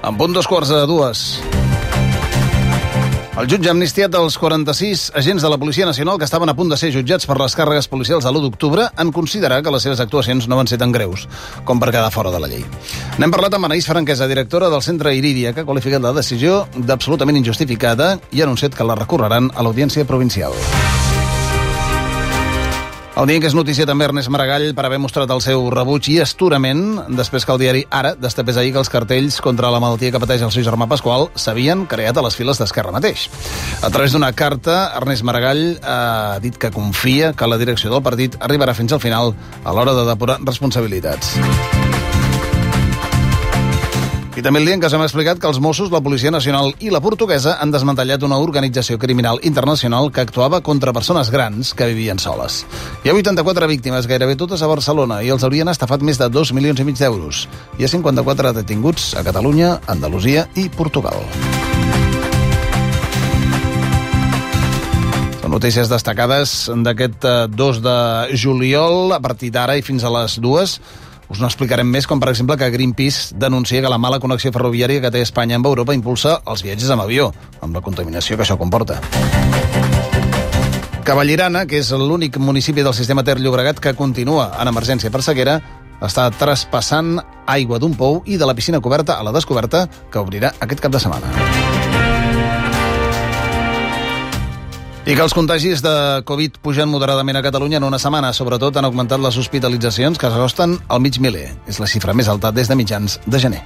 En punt dos quarts de dues. El jutge ha amnistiat els quaranta-sis agents de la Policia Nacional que estaven a punt de ser jutjats per les càrregues policials de l'u d'octubre en considerar que les seves actuacions no van ser tan greus com per quedar fora de la llei. N'hem parlat amb Anaïs Franquesa, directora del Centre Iridia, que ha qualificat la decisió d'absolutament injustificada i ha anunciat que la recorreran a l'Audiència Provincial. El dia que és notícia també Ernest Maragall per haver mostrat el seu rebuig i asturament després que el diari Ara destapés ahir que els cartells contra la malaltia que pateix el seu germà Pasqual s'havien creat a les files d'Esquerra mateix. A través d'una carta, Ernest Maragall ha dit que confia que la direcció del partit arribarà fins al final a l'hora de depurar responsabilitats. I també el dia en què s'ha explicat que els Mossos, la Policia Nacional i la Portuguesa han desmantellat una organització criminal internacional que actuava contra persones grans que vivien soles. Hi ha vuitanta-quatre víctimes, gairebé totes a Barcelona, i els haurien estafat més de dos milions i mig d'euros. Hi ha cinquanta-quatre detinguts a Catalunya, Andalusia i Portugal. Són notícies destacades d'aquest dos de juliol, a partir d'ara i fins a les dues. Us n'explicarem més, com per exemple que Greenpeace denuncia que la mala connexió ferroviària que té Espanya amb Europa impulsa els viatges amb avió, amb la contaminació que això comporta. Cavallirana, que és l'únic municipi del sistema Ter Llobregat que continua en emergència per sequera, està traspassant aigua d'un pou i de la piscina coberta a la descoberta que obrirà aquest cap de setmana. I que els contagis de Covid pugen moderadament a Catalunya en una setmana. Sobretot han augmentat les hospitalitzacions, que s'acosten al mig miler. És la xifra més alta des de mitjans de gener.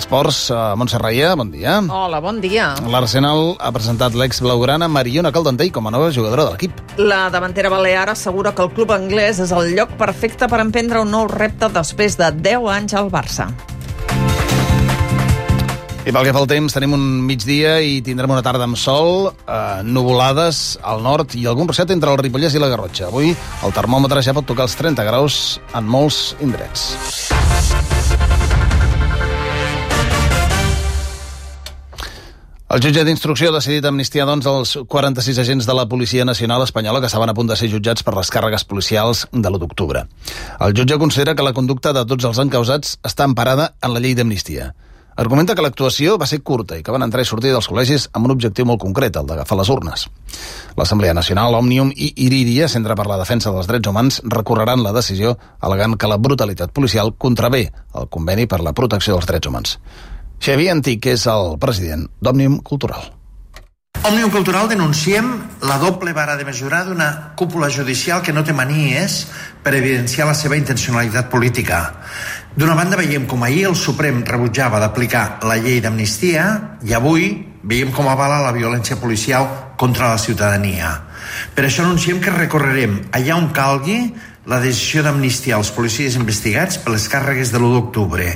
Esports, Montse Raia, bon dia. Hola, bon dia. L'Arsenal ha presentat l'ex-blaugrana Mariona Caldentey com a nova jugadora de l'equip. La davantera balear assegura que el club anglès és el lloc perfecte per emprendre un nou repte després de deu anys al Barça. I pel que fa al temps, tenim un migdia i tindrem una tarda amb sol, eh, nuvolades al nord i algun ruixat entre el Ripollès i la Garrotxa. Avui el termòmetre ja pot tocar els trenta graus en molts indrets. El jutge d'instrucció ha decidit amnistiar doncs, els quaranta-sis agents de la Policia Nacional Espanyola que estaven a punt de ser jutjats per les càrregues policials de l'u d'octubre. El jutge considera que la conducta de tots els encausats està emparada en la llei d'amnistia. Argumenta que l'actuació va ser curta i que van entrar i sortir dels col·legis amb un objectiu molt concret, el d'agafar les urnes. L'Assemblea Nacional, Òmnium i Iridia, Centre per la Defensa dels Drets Humans, recorreran la decisió al·legant que la brutalitat policial contravé el conveni per la protecció dels drets humans. Xavier Antic és el president d'Òmnium Cultural. Òmnium Cultural denunciem la doble vara de mesurar d'una cúpula judicial que no té manies per evidenciar la seva intencionalitat política. D'una banda veiem com ahir el Suprem rebutjava d'aplicar la llei d'amnistia i avui veiem com avala la violència policial contra la ciutadania. Per això anunciem que recorrerem allà on calgui la decisió d'amnistiar els policies investigats per les càrregues de l'u d'octubre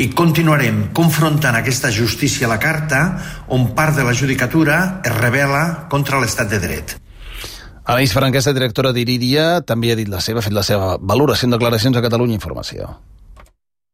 i continuarem confrontant aquesta justícia a la carta on part de la judicatura es rebel·la contra l'estat de dret. Anaïs Franquesa, directora d'Iridia, també ha dit la seva, ha fet la seva valoració en declaracions a Catalunya Informació.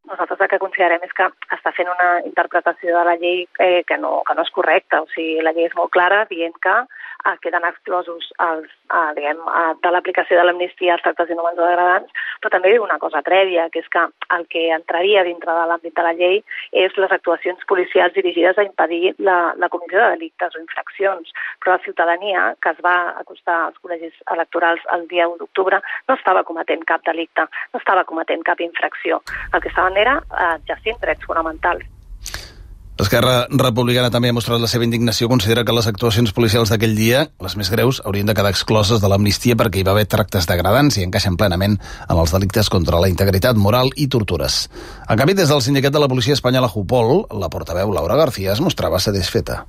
Nosaltres el que considerem és que està fent una interpretació de la llei eh, que, no, que no és correcta. O sigui, la llei és molt clara dient que eh, queden exclosos els, eh, diguem, eh, de l'aplicació de l'amnistia als tractes inhumans o degradants, però també diu una cosa prèvia, que és que el que entraria dintre de l'àmbit de la llei és les actuacions policials dirigides a impedir la, la comissió de delictes o infraccions. Però la ciutadania que es va acostar als col·legis electorals el dia u d'octubre no estava cometent cap delicte, no estava cometent cap infracció. El que estaven era eh, exercint drets fonamentals. Esquerra Republicana també ha mostrat la seva indignació, considera que les actuacions policials d'aquell dia, les més greus, haurien de quedar excloses de l'amnistia perquè hi va haver tractes degradants i encaixen plenament en els delictes contra la integritat moral i tortures. En canvi, des del sindicat de la policia espanyola Jupol, la portaveu Laura García es mostrava satisfeta.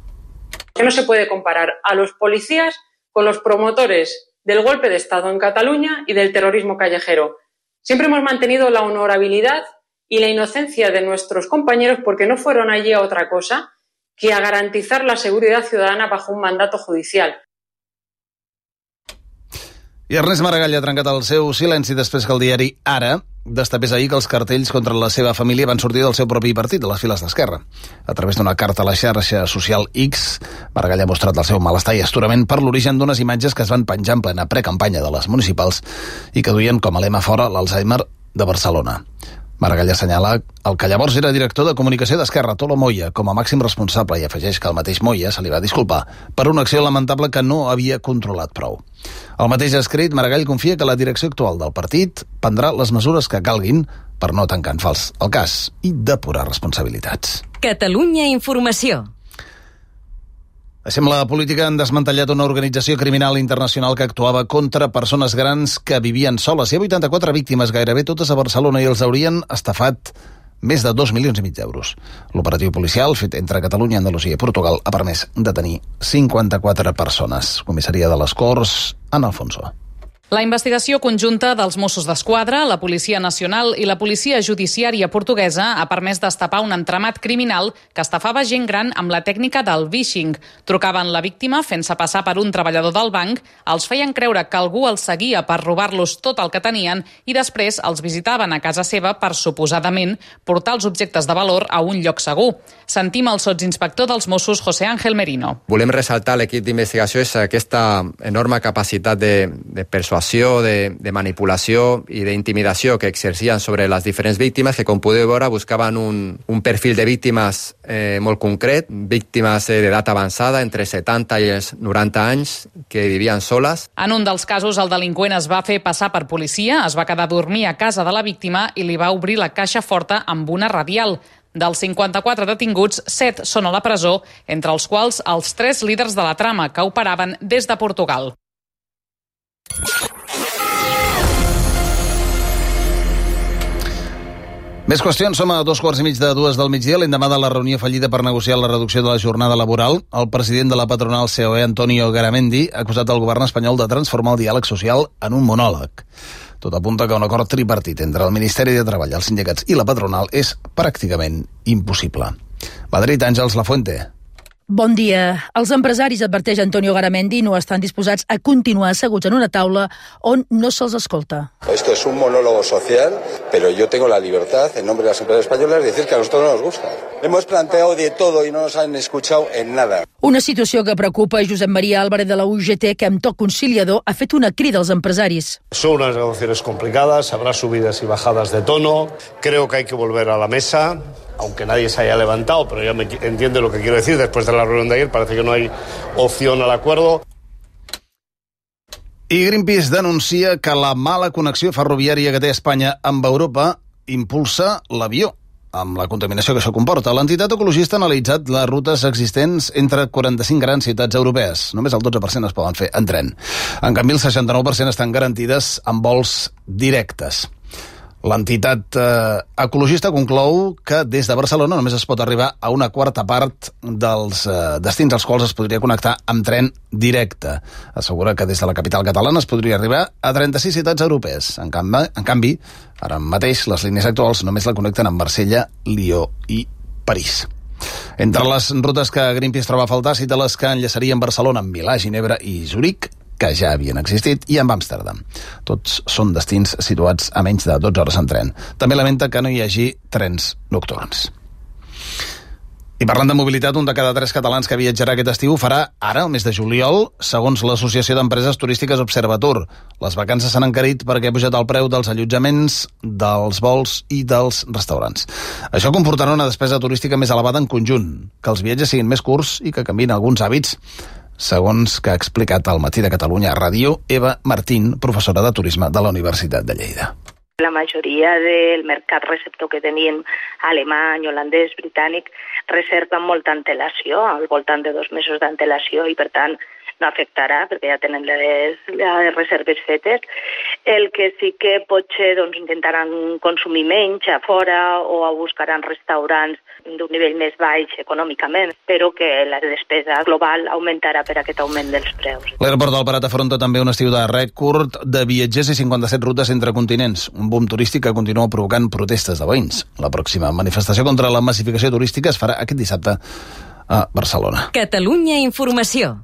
Que no se puede comparar a los policías con los promotores del golpe de Estado en Cataluña y del terrorismo callejero. Siempre hemos mantenido la honorabilidad y la inocencia de nuestros compañeros porque no fueron allí a otra cosa que a garantizar la seguridad ciudadana bajo un mandato judicial. I Ernest Maragall ha trencat el seu silenci després que el diari Ara destapés ahir que els cartells contra la seva família van sortir del seu propi partit, de les files d'Esquerra. A través d'una carta a la xarxa social X, Maragall ha mostrat el seu malestar i astorament per l'origen d'unes imatges que es van penjar en plena precampanya de les municipals i que duien com a lema fora l'Alzheimer de Barcelona. Maragall assenyala el que llavors era director de comunicació d'Esquerra, Tolo Moya, com a màxim responsable, i afegeix que el mateix Moya se li va disculpar per una acció lamentable que no havia controlat prou. Al mateix escrit, Maragall confia que la direcció actual del partit prendrà les mesures que calguin per no tancar en fals el cas i depurar responsabilitats. Catalunya Informació. Deixem la política. Han desmantellat una organització criminal internacional que actuava contra persones grans que vivien soles. Hi ha vuitanta-quatre víctimes, gairebé totes a Barcelona, i els haurien estafat més de dos milions i mig d'euros. L'operatiu policial, fet entre Catalunya, Andalusia i Portugal, ha permès detenir cinquanta-quatre persones. Comissaria de les Corts, Ana Alfonso. La investigació conjunta dels Mossos d'Esquadra, la Policia Nacional i la Policia Judiciària Portuguesa ha permès destapar un entramat criminal que estafava gent gran amb la tècnica del vishing. Trucaven la víctima fent-se passar per un treballador del banc, els feien creure que algú els seguia per robar-los tot el que tenien i després els visitaven a casa seva per, suposadament, portar els objectes de valor a un lloc segur. Sentim el sotsinspector dels Mossos, José Ángel Merino. Volem ressaltar l'equip d'investigació és aquesta enorme capacitat de, de persuasió, de, de manipulació i d'intimidació que exercien sobre les diferents víctimes, que com podeu veure buscaven un, un perfil de víctimes eh, molt concret, víctimes eh, d'edat avançada, entre setanta i els noranta anys, que vivien soles. En un dels casos, el delinqüent es va fer passar per policia, es va quedar a dormir a casa de la víctima i li va obrir la caixa forta amb una radial. Dels cinquanta-quatre detinguts, set són a la presó, entre els quals els tres líders de la trama que operaven des de Portugal. Més qüestions. Som a dos quarts i mig de dues del migdia, l'endemà de la reunió fallida per negociar la reducció de la jornada laboral. El president de la patronal C O E, Antonio Garamendi, ha acusat el govern espanyol de transformar el diàleg social en un monòleg. Tot apunta que un acord tripartit entre el Ministeri de Treball, els sindicats i la patronal és pràcticament impossible. Madrid, Àngels Lafuente. Bon dia. Els empresaris, adverteix Antonio Garamendi, no estan disposats a continuar asseguts en una taula on no se'ls escolta. Esto es un monólogo social, pero yo tengo la libertad, en nombre de las empresas españolas, de decir que a nosotros no nos gusta. Hemos planteado de todo y no nos han escuchado en nada. Una situació que preocupa Josep María Álvarez de la U G T, que amb to conciliador ha fet una crida als empresaris. Son unas negociaciones complicadas, habrá subidas y bajadas de tono. Creo que hay que volver a la mesa, aunque nadie se haya levantado, pero ya me entiende lo que quiero decir. Después de la reunión de ayer parece que no hay opción al acuerdo. I Greenpeace denuncia que la mala connexió ferroviària que té Espanya amb Europa impulsa l'avió, amb la contaminació que això comporta. L'entitat ecologista ha analitzat les rutes existents entre quaranta-cinc grans ciutats europees. Només el dotze per cent es poden fer en tren. En canvi, el seixanta-nou per cent estan garantides amb vols directes. L'entitat eh, ecologista conclou que des de Barcelona només es pot arribar a una quarta part dels eh, destins als quals es podria connectar amb tren directe. Assegura que des de la capital catalana es podria arribar a trenta-sis ciutats europees. En canvi, en canvi ara mateix les línies actuals només la connecten amb Marsella, Lió i París. Entre les rutes que Greenpeace troba a faltar, cita les que enllaçarien Barcelona amb Milà, Ginebra i Zuric, que ja havien existit, i amb Amsterdam. Tots són destins situats a menys de dotze hores en tren. També lamenta que no hi hagi trens nocturns. I parlant de mobilitat, un de cada tres catalans que viatjarà aquest estiu farà ara, el mes de juliol, segons l'Associació d'Empreses Turístiques Observatur. Les vacances s'han encarit perquè ha pujat el preu dels allotjaments, dels vols i dels restaurants. Això comportarà una despesa turística més elevada en conjunt, que els viatges siguin més curts i que canviïn alguns hàbits, segons que ha explicat al Matí de Catalunya Ràdio Eva Martín, professora de turisme de la Universitat de Lleida. La majoria del mercat receptor que tenim, alemany, holandès, britànic, reserva amb molta antelació, al voltant de dos mesos d'antelació, i per tant no afectarà perquè ja tenen les, les reserves fetes. El que sí que potser doncs, intentaran consumir menys a fora o buscaran restaurants d'un nivell més baix econòmicament, però que la despesa global augmentarà per aquest augment dels preus. L'aeroport del Prat afronta també un estiu de rècord de viatgers i cinquanta-set rutes entre continents, un boom turístic que continua provocant protestes de veïns. La pròxima manifestació contra la massificació turística es farà aquest dissabte a Barcelona. Catalunya Informació.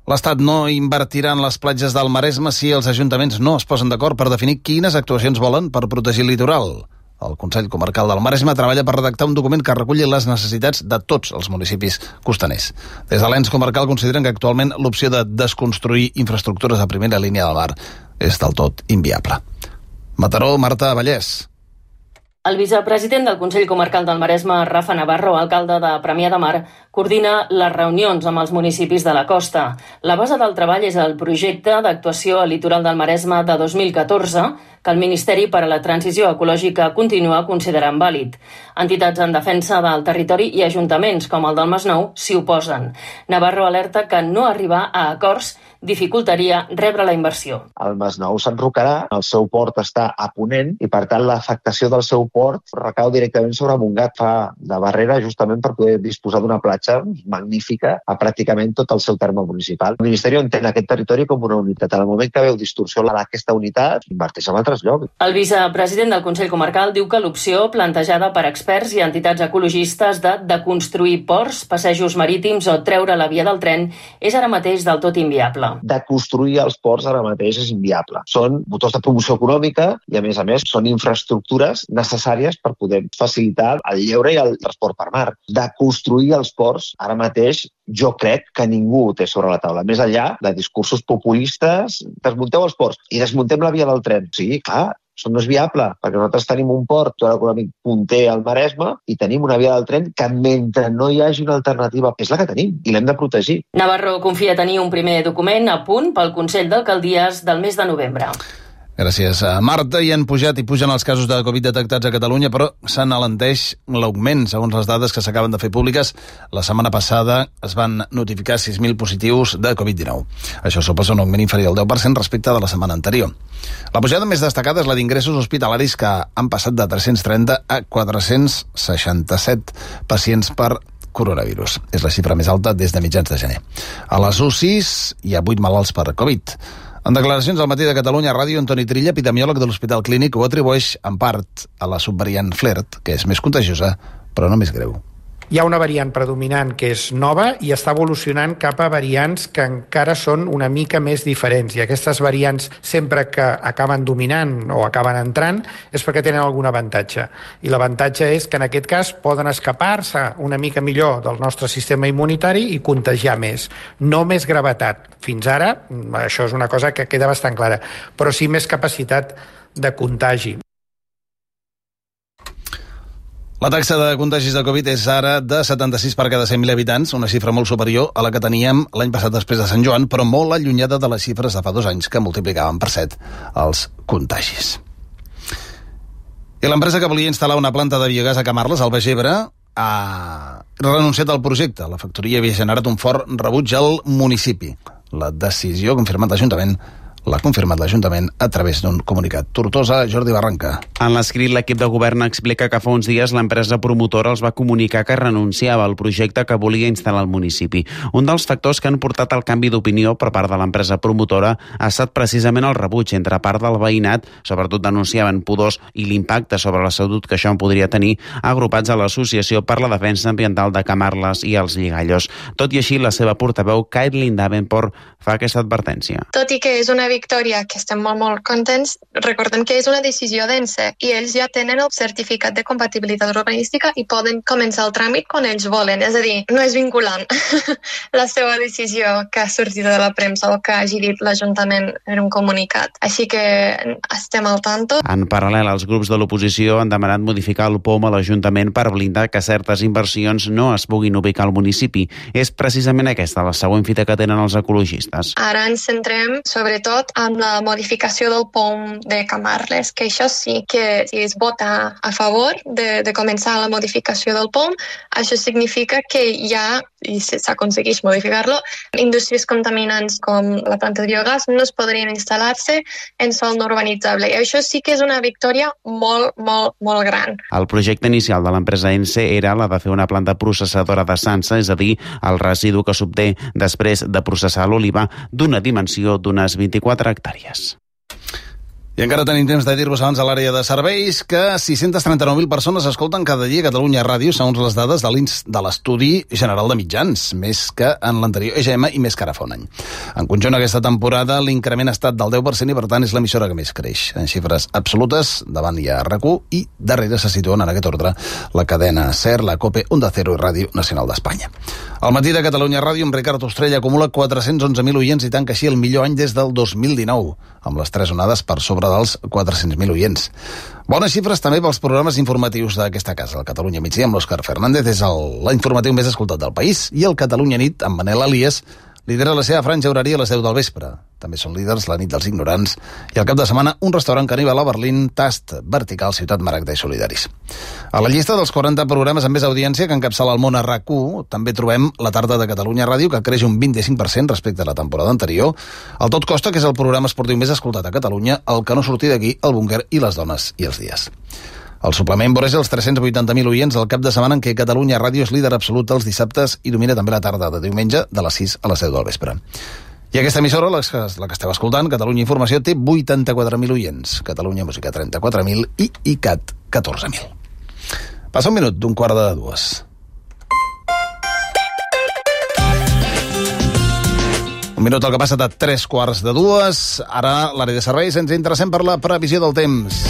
L'Estat no invertirà en les platges del Maresme si els ajuntaments no es posen d'acord per definir quines actuacions volen per protegir el litoral. El Consell Comarcal del Maresme treballa per redactar un document que reculli les necessitats de tots els municipis costaners. Des de l'ens comarcal consideren que actualment l'opció de desconstruir infraestructures a primera línia del mar és del tot inviable. Mataró, Marta Vallès. El vicepresident del Consell Comarcal del Maresme, Rafa Navarro, alcalde de Premià de Mar, coordina les reunions amb els municipis de la costa. La base del treball és el projecte d'actuació al litoral del Maresme de dos mil catorze, que el Ministeri per a la Transició Ecològica continua considerant vàlid. Entitats en defensa del territori i ajuntaments, com el del Masnou, s'hi oposen. Navarro alerta que no arribar a acords dificultaria rebre la inversió. El Masnou s'enrocarà, el seu port està a ponent i, per tant, l'afectació del seu port recau directament sobre Montgat. Fa de barrera justament per poder disposar d'una platja magnífica a pràcticament tot el seu terme municipal. El Ministeri entén aquest territori com una unitat. En el moment que veu distorsió d'aquesta unitat, inverteix en altres llocs. El vicepresident del Consell Comarcal diu que l'opció plantejada per experts i entitats ecologistes de, de construir ports, passejos marítims o treure la via del tren és ara mateix del tot inviable. De construir els ports ara mateix és inviable. Són motors de promoció econòmica i, a més a més, són infraestructures necessàries per poder facilitar el lleure i el transport per mar. De construir els ports ara mateix jo crec que ningú ho té sobre la taula. Més enllà de discursos populistes, desmunteu els ports i desmuntem la via del tren. Sí, clar, això no és viable, perquè nosaltres tenim un port econòmic punter al Maresme i tenim una via del tren que, mentre no hi hagi una alternativa, és la que tenim i l'hem de protegir. Navarro confia tenir un primer document a punt pel Consell d'Alcaldies del mes de novembre. Gràcies a Marta. I han pujat i pugen els casos de Covid detectats a Catalunya, però s'enalenteix l'augment, segons les dades que s'acaben de fer públiques. La setmana passada es van notificar sis mil positius de Covid dinou. Això suposa un augment inferior al deu per cent respecte de la setmana anterior. La pujada més destacada és la d'ingressos hospitalaris, que han passat de tres-cents trenta a quatre-cents seixanta-set pacients per coronavirus. És la xifra més alta des de mitjans de gener. A les U C Is hi ha vuit malalts per Covid. En declaracions al Matí de Catalunya Ràdio, Antoni Trilla, epidemiòleg de l'Hospital Clínic, ho atribueix en part a la subvariant Flirt, que és més contagiosa, però no més greu. Hi ha una variant predominant que és nova i està evolucionant cap a variants que encara són una mica més diferents. I aquestes variants, sempre que acaben dominant o acaben entrant, és perquè tenen algun avantatge. I l'avantatge és que en aquest cas poden escapar-se una mica millor del nostre sistema immunitari i contagiar més. No més gravetat. Fins ara, això és una cosa que queda bastant clara, però sí més capacitat de contagi. La taxa de contagis de Covid és ara de setanta-sis per cada cent mil habitants, una xifra molt superior a la que teníem l'any passat després de Sant Joan, però molt allunyada de les xifres de fa dos anys, que multiplicaven per set els contagis. I l'empresa que volia instal·lar una planta de biogàs a Camarles, al Baix Ebre, ha renunciat al projecte. La factoria havia generat un fort rebuig al municipi. La decisió ha confirmat l'Ajuntament L'ha confirmat l'Ajuntament a través d'un comunicat. Tortosa, Jordi Barranca. En l'escrit, l'equip de govern explica que fa uns dies l'empresa promotora els va comunicar que renunciava al projecte que volia instal·lar al municipi. Un dels factors que han portat al canvi d'opinió per part de l'empresa promotora ha estat precisament el rebuig entre part del veïnat, sobretot denunciaven pudors i l'impacte sobre la salut que això en podria tenir, agrupats a l'Associació per la Defensa Ambiental de Camarles i els Lligallos. Tot i així, la seva portaveu, Caitlin Davenport, fa aquesta advertència. Tot i que és una victòria que estem molt, molt contents, recordem que és una decisió densa i ells ja tenen el certificat de compatibilitat urbanística i poden començar el tràmit quan ells volen. És a dir, no és vinculant la seva decisió que ha sortit de la premsa o que hagi dit l'Ajuntament en un comunicat. Així que estem al tanto. En paral·lel, els grups de l'oposició han demanat modificar el P O M a l'Ajuntament per blindar que certes inversions no es puguin ubicar al municipi. És precisament aquesta la següent fita que tenen els ecologistes. Ara ens centrem, sobretot, amb la modificació del P O M de Camarles, que això sí que si es vota a favor de, de començar la modificació del P O M, això significa que ja, i s'aconsegueix modificar-lo, indústries contaminants com la planta de biogàs no es podrien instal·lar-se en sòl no urbanitzable. I això sí que és una victòria molt, molt, molt gran. El projecte inicial de l'empresa ENCE era la de fer una planta processadora de Sansa, és a dir, el residu que s'obté després de processar l'oliva d'una dimensió d'unes vint-i-quatre hectàrees. I encara tenim temps de dir-vos abans a l'àrea de serveis que sis-centes trenta-nou mil persones escolten cada dia Catalunya Ràdio, segons les dades de l'Ins de l'Estudi General de Mitjans, més que en l'anterior E G M i més que ara fa un any. En conjunt, aquesta temporada l'increment ha estat del deu per cent i, per tant, és l'emissora que més creix. En xifres absolutes, davant hi ha R A C U i darrere se situen en aquest ordre la cadena SER, la COPE, Onda Cero i Ràdio Nacional d'Espanya. Al matí de Catalunya Ràdio, amb Ricard Ostrella acumula quatre-cents onze mil oients i tanca així el millor any des del dos mil dinou, amb les tres onades per sobre dels quatre-cents mil oients. Bones xifres també pels programes informatius d'aquesta casa. El Catalunya Migdia amb l'Òscar Fernández és l'informatiu més escoltat del país i el Catalunya Nit amb Manel Elias lidera la seva franja horària a les deu del vespre. També són líders la nit dels ignorants i al cap de setmana un restaurant caníbal a Berlín, Tast Vertical, Ciutat Maragda i Solidaris. A la llista dels quaranta programes amb més audiència que encapçala el món a R A C U també trobem la tarda de Catalunya Ràdio, que creix un vint-i-cinc per cent respecte a la temporada anterior. El Tot Costa, que és el programa esportiu més escoltat a Catalunya, el Que no surti d'aquí, el Búnquer i les dones i els dies. El suplement voreja els tres-cents vuitanta mil oients al cap de setmana en què Catalunya Ràdio és líder absolut els dissabtes i domina també la tarda de diumenge de les sis a les deu del vespre. I aquesta emissora, la que, la que esteu escoltant, Catalunya Informació, té vuitanta-quatre mil oients, Catalunya Música trenta-quatre mil i ICAT catorze mil. Passa un minut d'un quart de dues. Un minut el que passa de tres quarts de dues. Ara, l'àrea de serveis, ens interessem per la previsió del temps.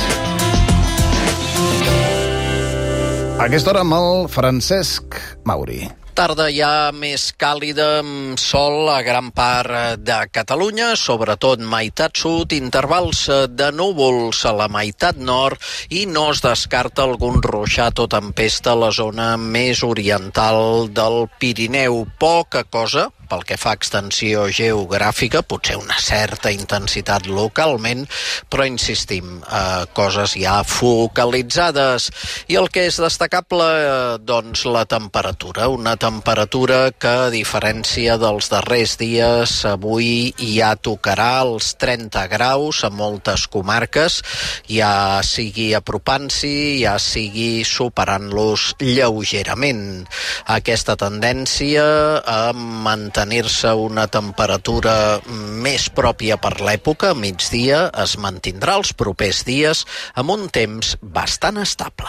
A aquesta hora amb el Francesc Mauri. Tarda ja més càlida, amb sol a gran part de Catalunya, sobretot meitat sud, intervals de núvols a la meitat nord i no es descarta algun ruixat o tempesta a la zona més oriental del Pirineu. Poca cosa pel que fa a extensió geogràfica, potser una certa intensitat localment, però insistim, eh, coses ja focalitzades. I el que és destacable, eh, doncs la temperatura, una temperatura que, a diferència dels darrers dies, avui ja tocarà els trenta graus a moltes comarques, ja sigui apropant-s'hi, ja sigui superant-los lleugerament. Aquesta tendència a mantenir tenir-se una temperatura més pròpia per l'època, migdia, es mantindrà els propers dies amb un temps bastant estable.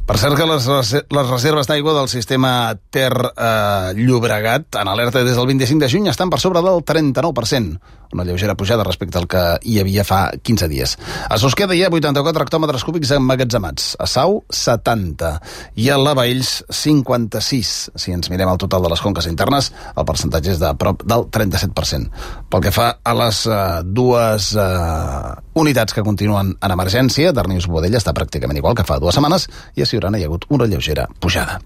Per cert que les, les reserves d'aigua del sistema Ter eh, Llobregat, en alerta des del vint-i-cinc de juny, estan per sobre del trenta-nou per cent, una lleugera pujada respecte al que hi havia fa quinze dies. A Susqueda hi ha vuitanta-quatre hectòmetres cúbics emmagatzemats, a Sau setanta i a la Baells cinquanta-sis. Si ens mirem el total de les conques internes, el percentatge és de prop del trenta-set per cent. Pel que fa a les eh, dues eh, unitats que continuen en emergència, Darnius Boadella està pràcticament igual que fa dues setmanes i a Siurana hi ha hagut una lleugera pujada.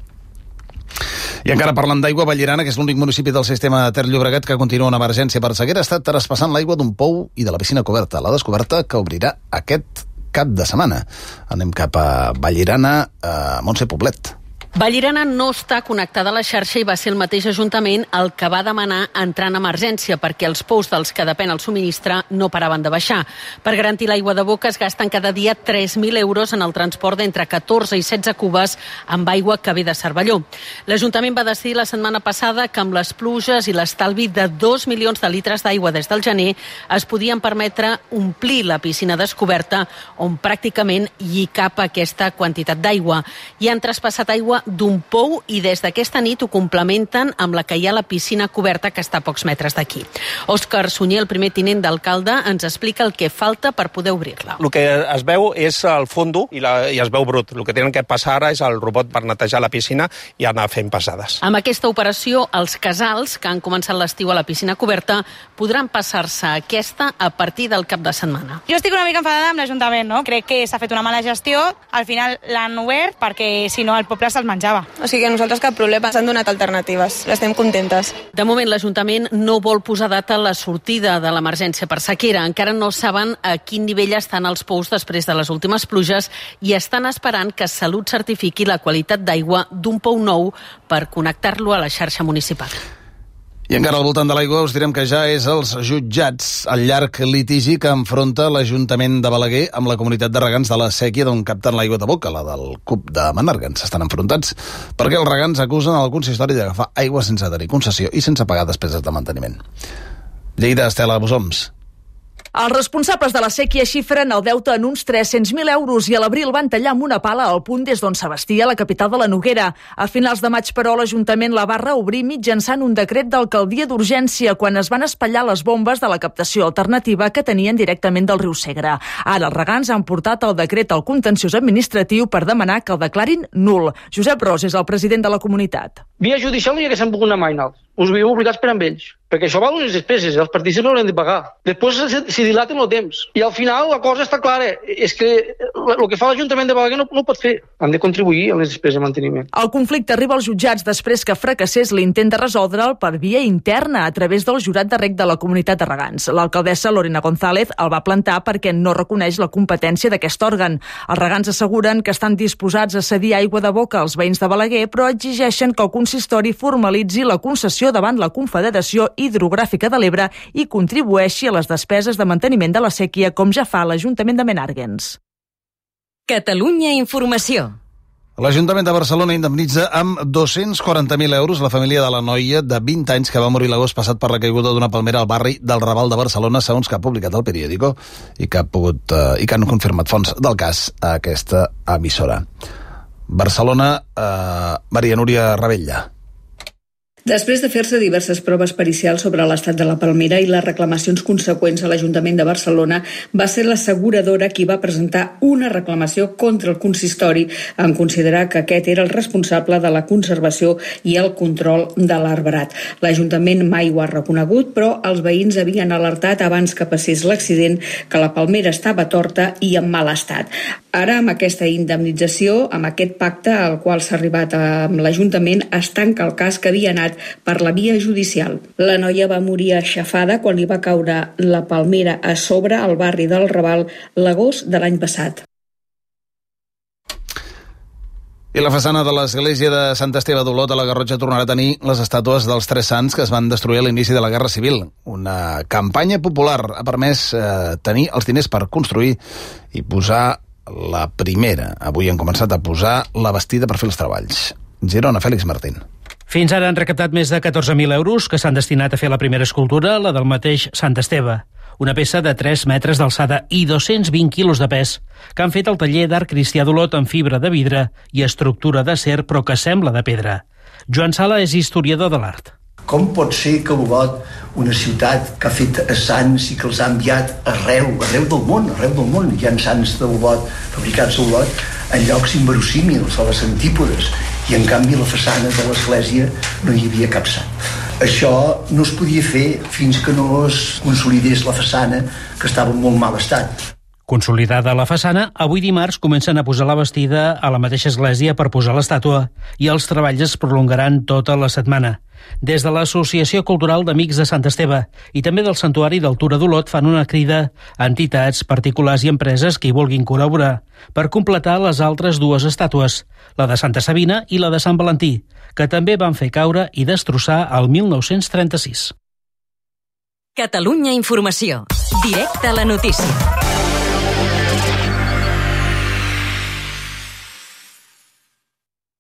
I encara parlant d'aigua, Vallirana, que és l'únic municipi del sistema Ter Llobregat que continua en emergència per sequera, està traspassant l'aigua d'un pou i de la piscina coberta. La descoberta que obrirà aquest cap de setmana. Anem cap a Vallirana, a Montse Poblet. Vallirana no està connectada a la xarxa i va ser el mateix Ajuntament el que va demanar entrar en emergència perquè els pous dels que depèn el subministre no paraven de baixar. Per garantir l'aigua de boca es gasten cada dia tres mil euros en el transport d'entre catorze i setze cubes amb aigua que ve de Cervelló. L'Ajuntament va decidir la setmana passada que amb les pluges i l'estalvi de dos milions de litres d'aigua des del gener es podien permetre omplir la piscina descoberta on pràcticament hi cap aquesta quantitat d'aigua. Hi han traspassat aigua d'un pou i des d'aquesta nit ho complementen amb la que hi ha a la piscina coberta que està a pocs metres d'aquí. Òscar Sunyer, el primer tinent d'alcalde, ens explica el que falta per poder obrir-la. El que es veu és el fondo i, la, i es veu brut. El que tenen que passar ara és el robot per netejar la piscina i anar fent passades. Amb aquesta operació, els casals que han començat l'estiu a la piscina coberta podran passar-se a aquesta a partir del cap de setmana. Jo estic una mica enfadada amb l'Ajuntament, no? Crec que s'ha fet una mala gestió. Al final l'han obert perquè, si no, el poble se'ls menjava. O sigui que nosaltres cap problema, s'han donat alternatives, estem contentes. De moment l'Ajuntament no vol posar data a la sortida de l'emergència per sequera. Encara no saben a quin nivell estan els pous després de les últimes pluges i estan esperant que Salut certifiqui la qualitat d'aigua d'un pou nou per connectar-lo a la xarxa municipal. I encara al voltant de l'aigua us direm que ja és els jutjats el llarg litigi que enfronta l'Ajuntament de Balaguer amb la comunitat de regants de la Sèquia d'on capten l'aigua de boca, la del C U P de Menàrguens. Estan enfrontats perquè els regants acusen el consistori d'agafar aigua sense tenir concessió i sense pagar despeses de manteniment. Lleida, Estela Bosoms. Els responsables de la sèquia xifren el deute en uns tres-cents mil euros i a l'abril van tallar amb una pala el punt des d'on s'abastia la capital de la Noguera. A finals de maig, però, l'Ajuntament la va reobrir mitjançant un decret d'alcaldia d'urgència quan es van espatllar les bombes de la captació alternativa que tenien directament del riu Segre. Ara els regants han portat el decret al contenciós administratiu per demanar que el declarin nul. Josep Ros és el president de la comunitat. Via judicial no hi haguessin pogut anar mai nals. Us veiem obligats per amb ells, perquè això val unes despeses, els partícips no haurem de pagar. Després s'hi dilaten el temps. I al final la cosa està clara, és que el que fa l'Ajuntament de Balaguer no, no ho pot fer. Han de contribuir a les despeses de manteniment. El conflicte arriba als jutjats després que fracassés l'intent de resoldre'l per via interna a través del jurat de reg de la comunitat de regants. L'alcaldessa Lorena González el va plantar perquè no reconeix la competència d'aquest òrgan. Els regants asseguren que estan disposats a cedir aigua de boca als veïns de Balaguer, però exigeixen que el consistori formalitzi la concessió davant la Confederació Hidrogràfica de l'Ebre i contribueixi a les despeses de manteniment de la sèquia, com ja fa l'Ajuntament de Menàrguens. Catalunya Informació. L'Ajuntament de Barcelona indemnitza amb dos-cents quaranta mil euros la família de la noia de vint anys que va morir l'agost passat per la caiguda d'una palmera al barri del Raval de Barcelona, segons que ha publicat el periòdico i que, ha pogut, eh, i que han confirmat fonts del cas a aquesta emissora. Barcelona, eh, Maria Núria Ravella. Després de fer-se diverses proves pericials sobre l'estat de la palmera i les reclamacions conseqüents a l'Ajuntament de Barcelona, va ser l'asseguradora qui va presentar una reclamació contra el consistori en considerar que aquest era el responsable de la conservació i el control de l'arbrat. L'Ajuntament mai ho ha reconegut, però els veïns havien alertat abans que passés l'accident que la palmera estava torta i en mal estat. Ara, amb aquesta indemnització, amb aquest pacte al qual s'ha arribat amb l'Ajuntament, es tanca el cas que havia anat per la via judicial. La noia va morir aixafada quan li va caure la palmera a sobre al barri del Raval l'agost de l'any passat. I la façana de l'església de Sant Esteve d'Olot a la Garrotxa tornarà a tenir les estàtues dels tres sants que es van destruir a l'inici de la Guerra Civil. Una campanya popular ha permès eh, tenir els diners per construir i posar la primera. Avui han començat a posar la bastida per fer els treballs. Girona, Fèlix Martín. Fins ara han recaptat més de catorze mil euros que s'han destinat a fer la primera escultura, la del mateix Sant Esteve. Una peça de tres metres d'alçada i dos-cents vint quilos de pes, que han fet al taller d'art cristià d'Olot amb fibra de vidre i estructura d'acer, però que sembla de pedra. Joan Sala és historiador de l'art. Com pot ser que Olot, una ciutat que ha fet sants i que els ha enviat arreu, arreu del món, arreu del món, hi ha sants d'Olot, fabricats a Olot, en llocs inverosímils, a les antípodes, i en canvi a la façana de l'església no hi havia cap sant. Això no es podia fer fins que no es consolidés la façana, que estava en molt mal estat. Consolidada la façana, avui dimarts comencen a posar la bastida a la mateixa església per posar l'estàtua i els treballs es prolongaran tota la setmana. Des de l'Associació Cultural d'Amics de Sant Esteve i també del Santuari d'Altura d'Olot fan una crida a entitats, particulars i empreses que hi vulguin col·laborar per completar les altres dues estàtues, la de Santa Sabina i la de Sant Valentí, que també van fer caure i destrossar el mil nou-cents trenta-sis. Catalunya Informació. Directe a la notícia.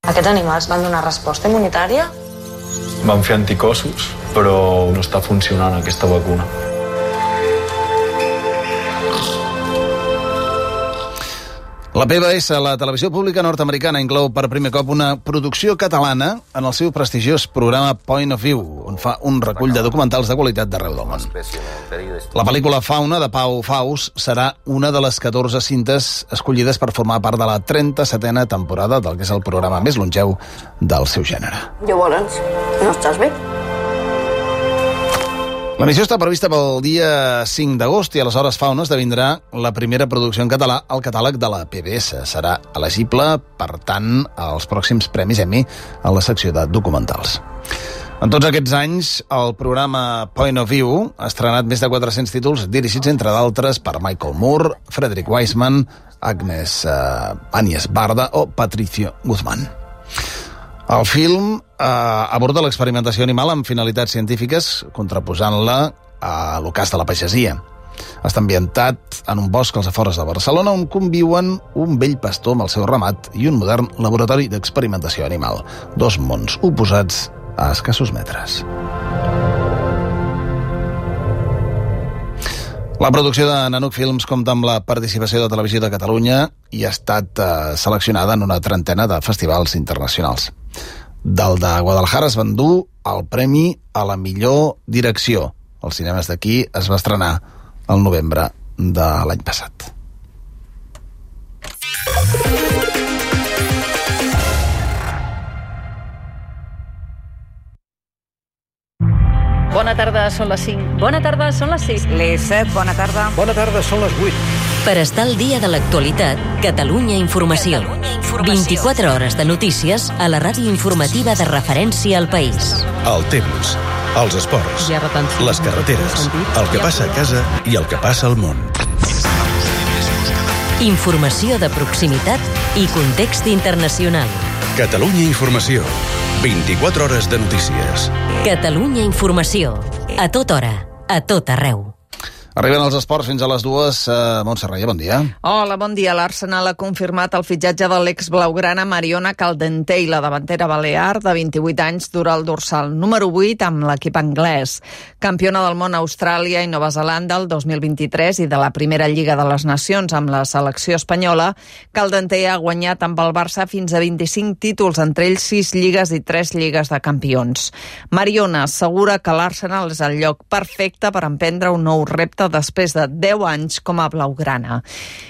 Aquests animals van donar resposta immunitària? Van fer anticossos, però no està funcionant aquesta vacuna. La P B S, la televisió pública nord-americana, inclou per primer cop una producció catalana en el seu prestigiós programa Point of View, on fa un recull de documentals de qualitat d'arreu del món. La pel·lícula Fauna, de Pau Faus, serà una de les catorze cintes escollides per formar part de la trenta-setena temporada del que és el programa més longeu del seu gènere. Llavors, no estàs bé? La missió està prevista pel dia cinc d'agost i aleshores Fauna esdevindrà la primera producció en català al catàleg de la P B S. Serà elegible, per tant, als pròxims Premis Emmy a la secció de documentals. En tots aquests anys, el programa Point of View ha estrenat més de quatre-cents títols dirigits, entre d'altres, per Michael Moore, Frederick Wiseman, Agnes uh, Agnes Barda o Patricio Guzmán. El film eh, aborda l'experimentació animal amb finalitats científiques, contraposant-la a l'ocàs de la pagesia. Està ambientat en un bosc als afores de Barcelona on conviuen un vell pastor amb el seu ramat i un modern laboratori d'experimentació animal. Dos mons oposats a escassos metres. La producció de Nanuc Films compta amb la participació de Televisió de Catalunya i ha estat eh, seleccionada en una trentena de festivals internacionals. Del de Guadalajara es va endur el premi a la millor direcció. Els cinemes d'aquí es va estrenar el novembre de l'any passat. Bona tarda, són les cinc. Bona tarda, són les sis. Les set, bona tarda. Bona tarda, són les vuit. Per estar al dia de l'actualitat, Catalunya Informació. Catalunya Informació. vint-i-quatre hores de notícies a la ràdio informativa de referència al país. El temps, els esports, les carreteres, el que passa a casa i el que passa al món. Informació de proximitat i context internacional. Catalunya Informació. vint-i-quatre hores de notícies. Catalunya Informació. A tota hora, a tot arreu. Arriben els esports fins a les dues. Uh, Montserrat, bon dia. Hola, bon dia. L'Arsenal ha confirmat el fitxatge de l'ex-blaugrana Mariona Caldentey, la davantera balear de vint-i-vuit anys, dura el dorsal número vuit amb l'equip anglès. Campiona del món a Austràlia i Nova Zelanda el dos mil vint-i-tres i de la primera Lliga de les Nacions amb la selecció espanyola, Caldentey ha guanyat amb el Barça fins a vint-i-cinc títols, entre ells sis lligues i tres lligues de campions. Mariona assegura que l'Arsenal és el lloc perfecte per emprendre un nou repte després de deu anys com a blaugrana.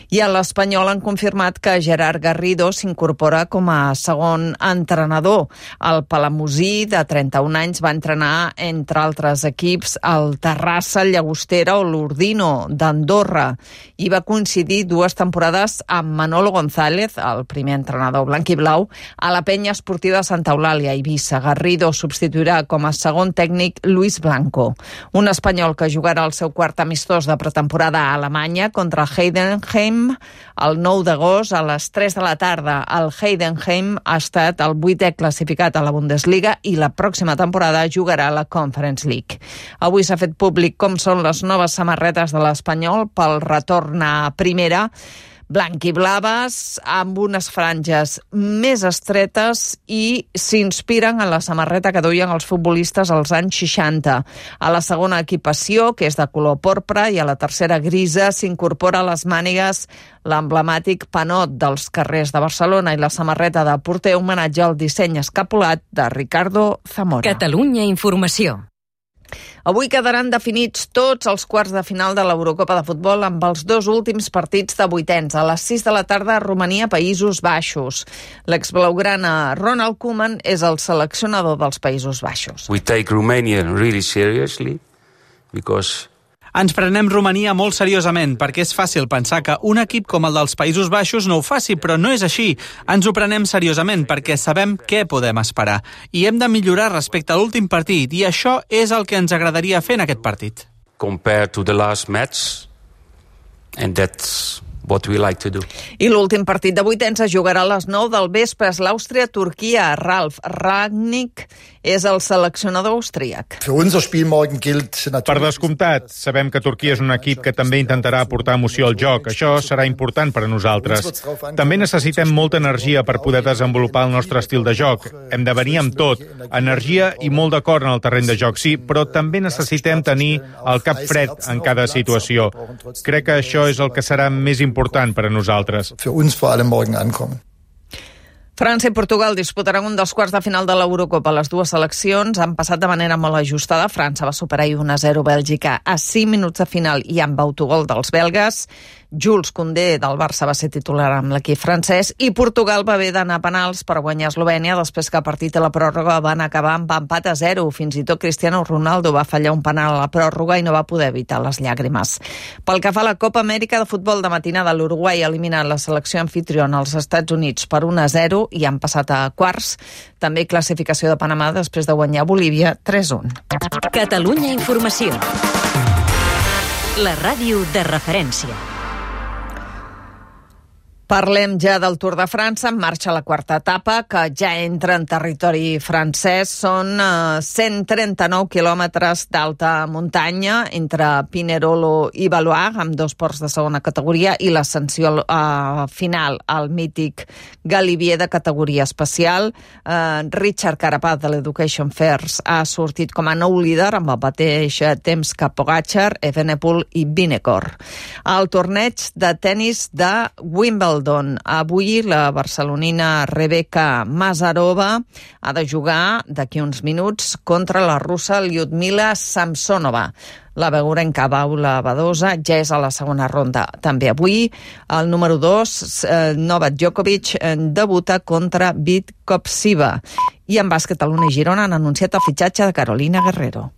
I a l'Espanyol han confirmat que Gerard Garrido s'incorpora com a segon entrenador. El palamosí, de trenta-un anys, va entrenar, entre altres equips, el Terrassa, el Llagostera o l'Ordino d'Andorra, i va coincidir dues temporades amb Manolo González, el primer entrenador blanquiblau, a la penya esportiva Santa Eulàlia, Eivissa. Garrido substituirà com a segon tècnic Luis Blanco, un espanyol que jugarà el seu quart amistós de pretemporada a Alemanya contra Heidenheim el nou d'agost a les tres de la tarda. El Heidenheim ha estat el vuitè classificat a la Bundesliga i la pròxima temporada jugarà a la Conference League. Avui s'ha fet públic com són les noves samarretes de l'Espanyol pel retorn a primera, blanquiblaves, amb unes franges més estretes i s'inspiren en la samarreta que duien els futbolistes als anys seixanta. A la segona equipació, que és de color porpra, i a la tercera grisa, s'incorpora a les mànigues l'emblemàtic panot dels carrers de Barcelona i la samarreta de porter homenatge al disseny escapulat de Ricardo Zamora. Catalunya Informació. Avui quedaran definits tots els quarts de final de l'Eurocopa de futbol amb els dos últims partits de vuitens. A les sis de la tarda, Romania, Països Baixos. L'exblaugrana Ronald Koeman és el seleccionador dels Països Baixos. We take Romania really seriously because Ens prenem Romania molt seriosament, perquè és fàcil pensar que un equip com el dels Països Baixos no ho faci, però no és així. Ens ho prenem seriosament perquè sabem què podem esperar. I hem de millorar respecte a l'últim partit, i això és el que ens agradaria fer en aquest partit. Compared to the last match, and that's what we like to do. I l'últim partit de vuitens es jugarà a les nou del vespre. L'Àustria-Turquia. Ralf Rangnick és el seleccionador austríac. Per descomptat, sabem que Turquia és un equip que també intentarà aportar emoció al joc. Això serà important per a nosaltres. També necessitem molta energia per poder desenvolupar el nostre estil de joc. Hem de venir amb tot, energia i molt d'acord en el terreny de joc, sí, però també necessitem tenir el cap fred en cada situació. Crec que això és el que serà més important per a nosaltres. França i Portugal disputaran un dels quarts de final de l'Eurocopa. Les dues seleccions han passat de manera molt ajustada. França va superar un a zero Bèlgica a cinc minuts de final i amb autogol dels belgues. Jules Koundé del Barça va ser titular amb l'equip francès i Portugal va haver d'anar a penals per guanyar Eslovènia després que el partit a la pròrroga van acabar amb empat a zero. Fins i tot Cristiano Ronaldo va fallar un penal a la pròrroga i no va poder evitar les llàgrimes. Pel que fa a la Copa Amèrica de futbol de matinada, l'Uruguai ha eliminat la selecció anfitriona als Estats Units per un a zero i han passat a quarts. També classificació de Panamà després de guanyar Bolívia tres a un. Catalunya Informació. La ràdio de referència. Parlem ja del Tour de França. En marxa la quarta etapa, que ja entra en territori francès. Són eh, cent trenta-nou quilòmetres d'alta muntanya entre Pinerolo i Valois, amb dos ports de segona categoria, i l'ascensió eh, final al mític Galibier de categoria especial. Eh, Richard Carapaz, de l'Education First, ha sortit com a nou líder amb el mateix temps que Pogačar, Evenepoel i Vinokur. El torneig de tennis de Wimbledon. Avui la barcelonina Rebeka Mazarova ha de jugar d'aquí uns minuts contra la russa Lyudmila Samsonova. La beurenca Paula Badosa ja és a la segona ronda. També avui el número dos, eh, Novak Djokovic, eh, debuta contra Vitkopsiva. I en bàsquet, a l'Una i Girona han anunciat el fitxatge de Carolina Guerrero.